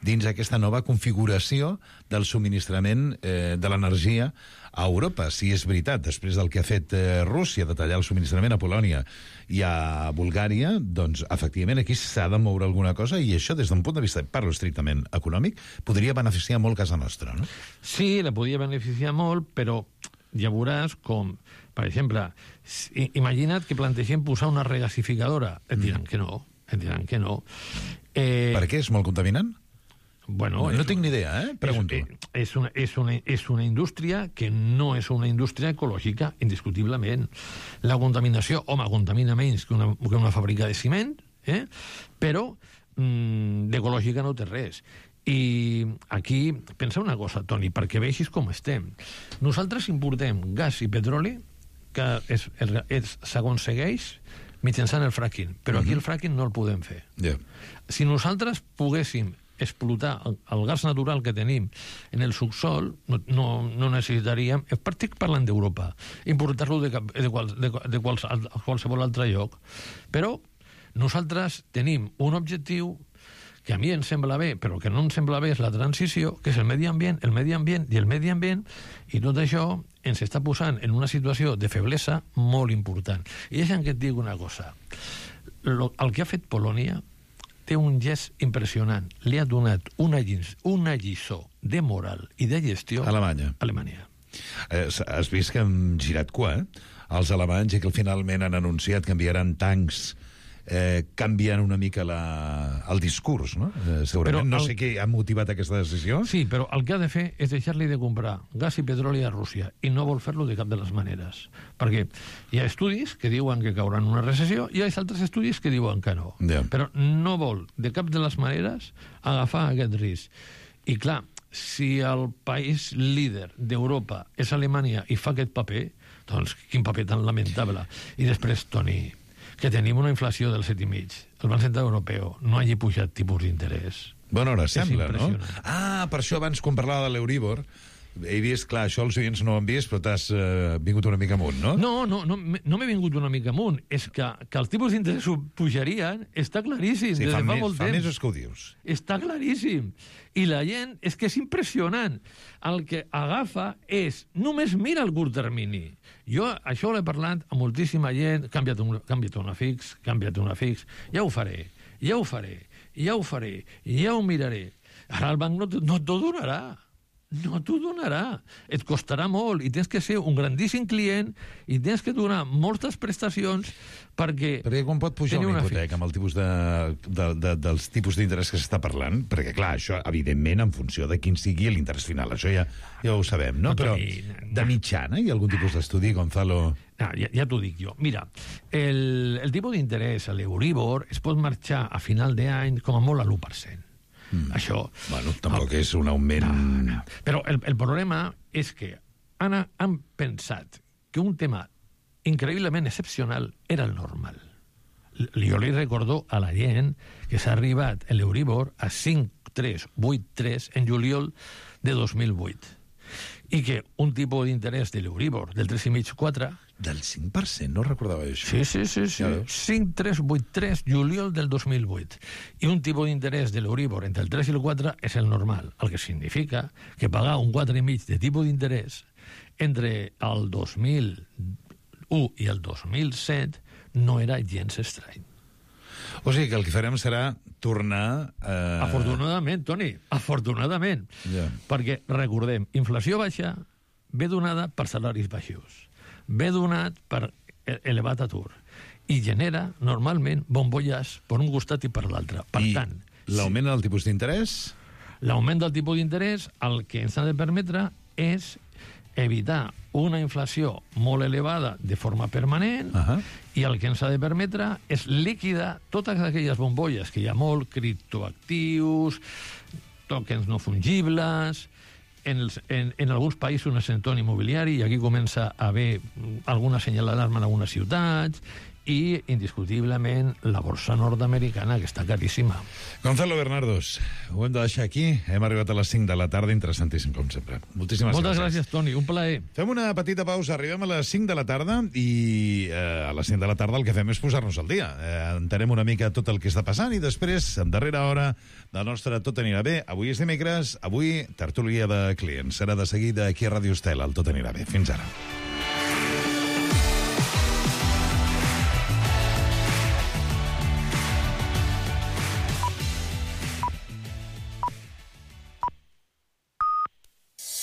Speaker 14: dins aquesta nova configuració del subministrament de l'energia a Europa. Si és veritat, després del que ha fet Rússia de tallar el subministrament a Polònia i a Bulgària, doncs, efectivament, aquí s'ha de moure alguna cosa i això, des d'un punt de vista, parlo estrictament econòmic, podria beneficiar molt casa nostra, no?
Speaker 17: Sí, la podria beneficiar molt, però ja veuràs com, per exemple, imagina't que plantegem posar una regasificadora. Et diran que no,
Speaker 14: Per què? És molt contaminant?
Speaker 17: Bueno,
Speaker 14: no tinc ni idea, pregunto.
Speaker 17: És una indústria que no és una indústria ecològica, indiscutiblement. La contaminació, home, contamina menys que una fàbrica de ciment, però d'ecològica no té res. I aquí, pensa una cosa, Toni, perquè vegis com estem. Nosaltres importem gas i petroli que s'aconsegueix mitjançant el fracking, però aquí el fracking no el podem fer. Si nosaltres poguéssim explotar el gas natural que tenim en el subsol, no necessitaríem, estic parlant d'Europa, importar-lo de qualsevol altre lloc. Però nosaltres tenim un objectiu que a mi em sembla bé, però que no em sembla bé és la transició, que és el medi ambient, i tot això ens està posant en una situació de feblesa molt important. I deixa'm que et digui una cosa. El que ha fet Polònia té un gest impressionant. Li ha donat una lliçó de moral i de gestió a Alemanya.
Speaker 14: Has vist que han girat cua, els alemanys, i que finalment han anunciat que enviaran tancs canviant una mica el discurs, no? Segurament. No sé què ha motivat aquesta decisió.
Speaker 17: Sí, però el que ha de fer és deixar-li de comprar gas i petroli a Rússia, i no vol fer-lo de cap de les maneres. Perquè hi ha estudis que diuen que caurà en una recessió i hi ha altres estudis que diuen que no. Però no vol de cap de les maneres agafar aquest risc. I clar, si el país líder d'Europa és Alemanya i fa aquest paper, doncs quin paper tan lamentable. I després, Toni, que tenim una inflació del 7,5. El Banc Central Europeu no hagi pujat tipus d'interès.
Speaker 14: Bona hora, sembla, no? Per això abans, quan parlava de l'Euribor, he vist, clar, això els oients no ho han vist, però t'has vingut una mica amunt, no?
Speaker 17: No m'he vingut una mica amunt. És que els tipus d'interès pujarien, està claríssim.
Speaker 14: Sí, fa mesos que ho dius.
Speaker 17: Està claríssim. I la gent, és que és impressionant. El que agafa és, només mira el curt termini. Jo això l'he parlat a moltíssima gent, canvia't una fix, ja ho faré, ja ho miraré. Ara el banc no t'ho donarà. No t'ho donarà. Et costarà molt i tens que ser un grandíssim client i tens que donar moltes prestacions perquè
Speaker 14: quan pot pujar una hipoteca amb el tipus dels tipus d'interès que s'està parlant? Perquè, clar, això, evidentment, en funció de quin sigui l'interès final. Això ja ho sabem, no? Però de mitjana hi ha algun tipus d'estudi, Gonzalo?
Speaker 17: Ja t'ho dic jo. Mira, el tipus d'interès a l'Euribor es pot marxar a final d'any com a molt a l'1%. Això...
Speaker 14: Bueno, tampoc és un augment...
Speaker 17: No. Però el problema és que han pensat que un tema increïblement excepcional era el normal. Jo li recordo a la gent que s'ha arribat l'Euribor a 5,383 en juliol de 2008 i que un tipus d'interès de l'Euribor del 3,5-4...
Speaker 14: Del 5%? No recordava això.
Speaker 17: Sí. 5,383 juliol del 2008. I un tipus d'interès de l'Euribor entre el 3 i el 4 és el normal, el que significa que pagar un 4,5 de tipus d'interès entre el 2001 i el 2007 no era gens estrany.
Speaker 14: O sigui que el que farem serà tornar...
Speaker 17: Afortunadament, Toni, afortunadament. Perquè, recordem, inflació baixa, ve donada per salaris baixos, ve donat per elevat atur i genera, normalment, bombolles per un costat i per l'altre. Per tant...
Speaker 14: L'augment del tipus d'interès?
Speaker 17: L'augment del tipus d'interès el que ens ha de permetre és evitar una inflació molt elevada de forma permanent i el que ens ha de permetre és liquidar totes aquelles bombolles que hi ha molt, criptoactius, tokens no fungibles, en alguns països un ascensor immobiliari, i aquí comença a haver alguna senyal d'alarma en algunes ciutats, i, indiscutiblement, la borsa nord-americana, que està caríssima.
Speaker 14: Gonzalo Bernardos, ho hem de deixar aquí. Hem arribat a les 5 de la tarda, interessantíssim, com sempre. Moltes
Speaker 17: gràcies, Toni, un plaer.
Speaker 14: Fem una petita pausa, arribem a les 5 de la tarda i a les 5 de la tarda el que fem és posar-nos al dia. Entenem una mica tot el que està passant i després, en darrera hora, del nostre Tot anirà bé. Avui és dimecres, avui tertúlia de clients. Serà de seguida aquí a Ràdio Estel, el Tot anirà bé. Fins ara.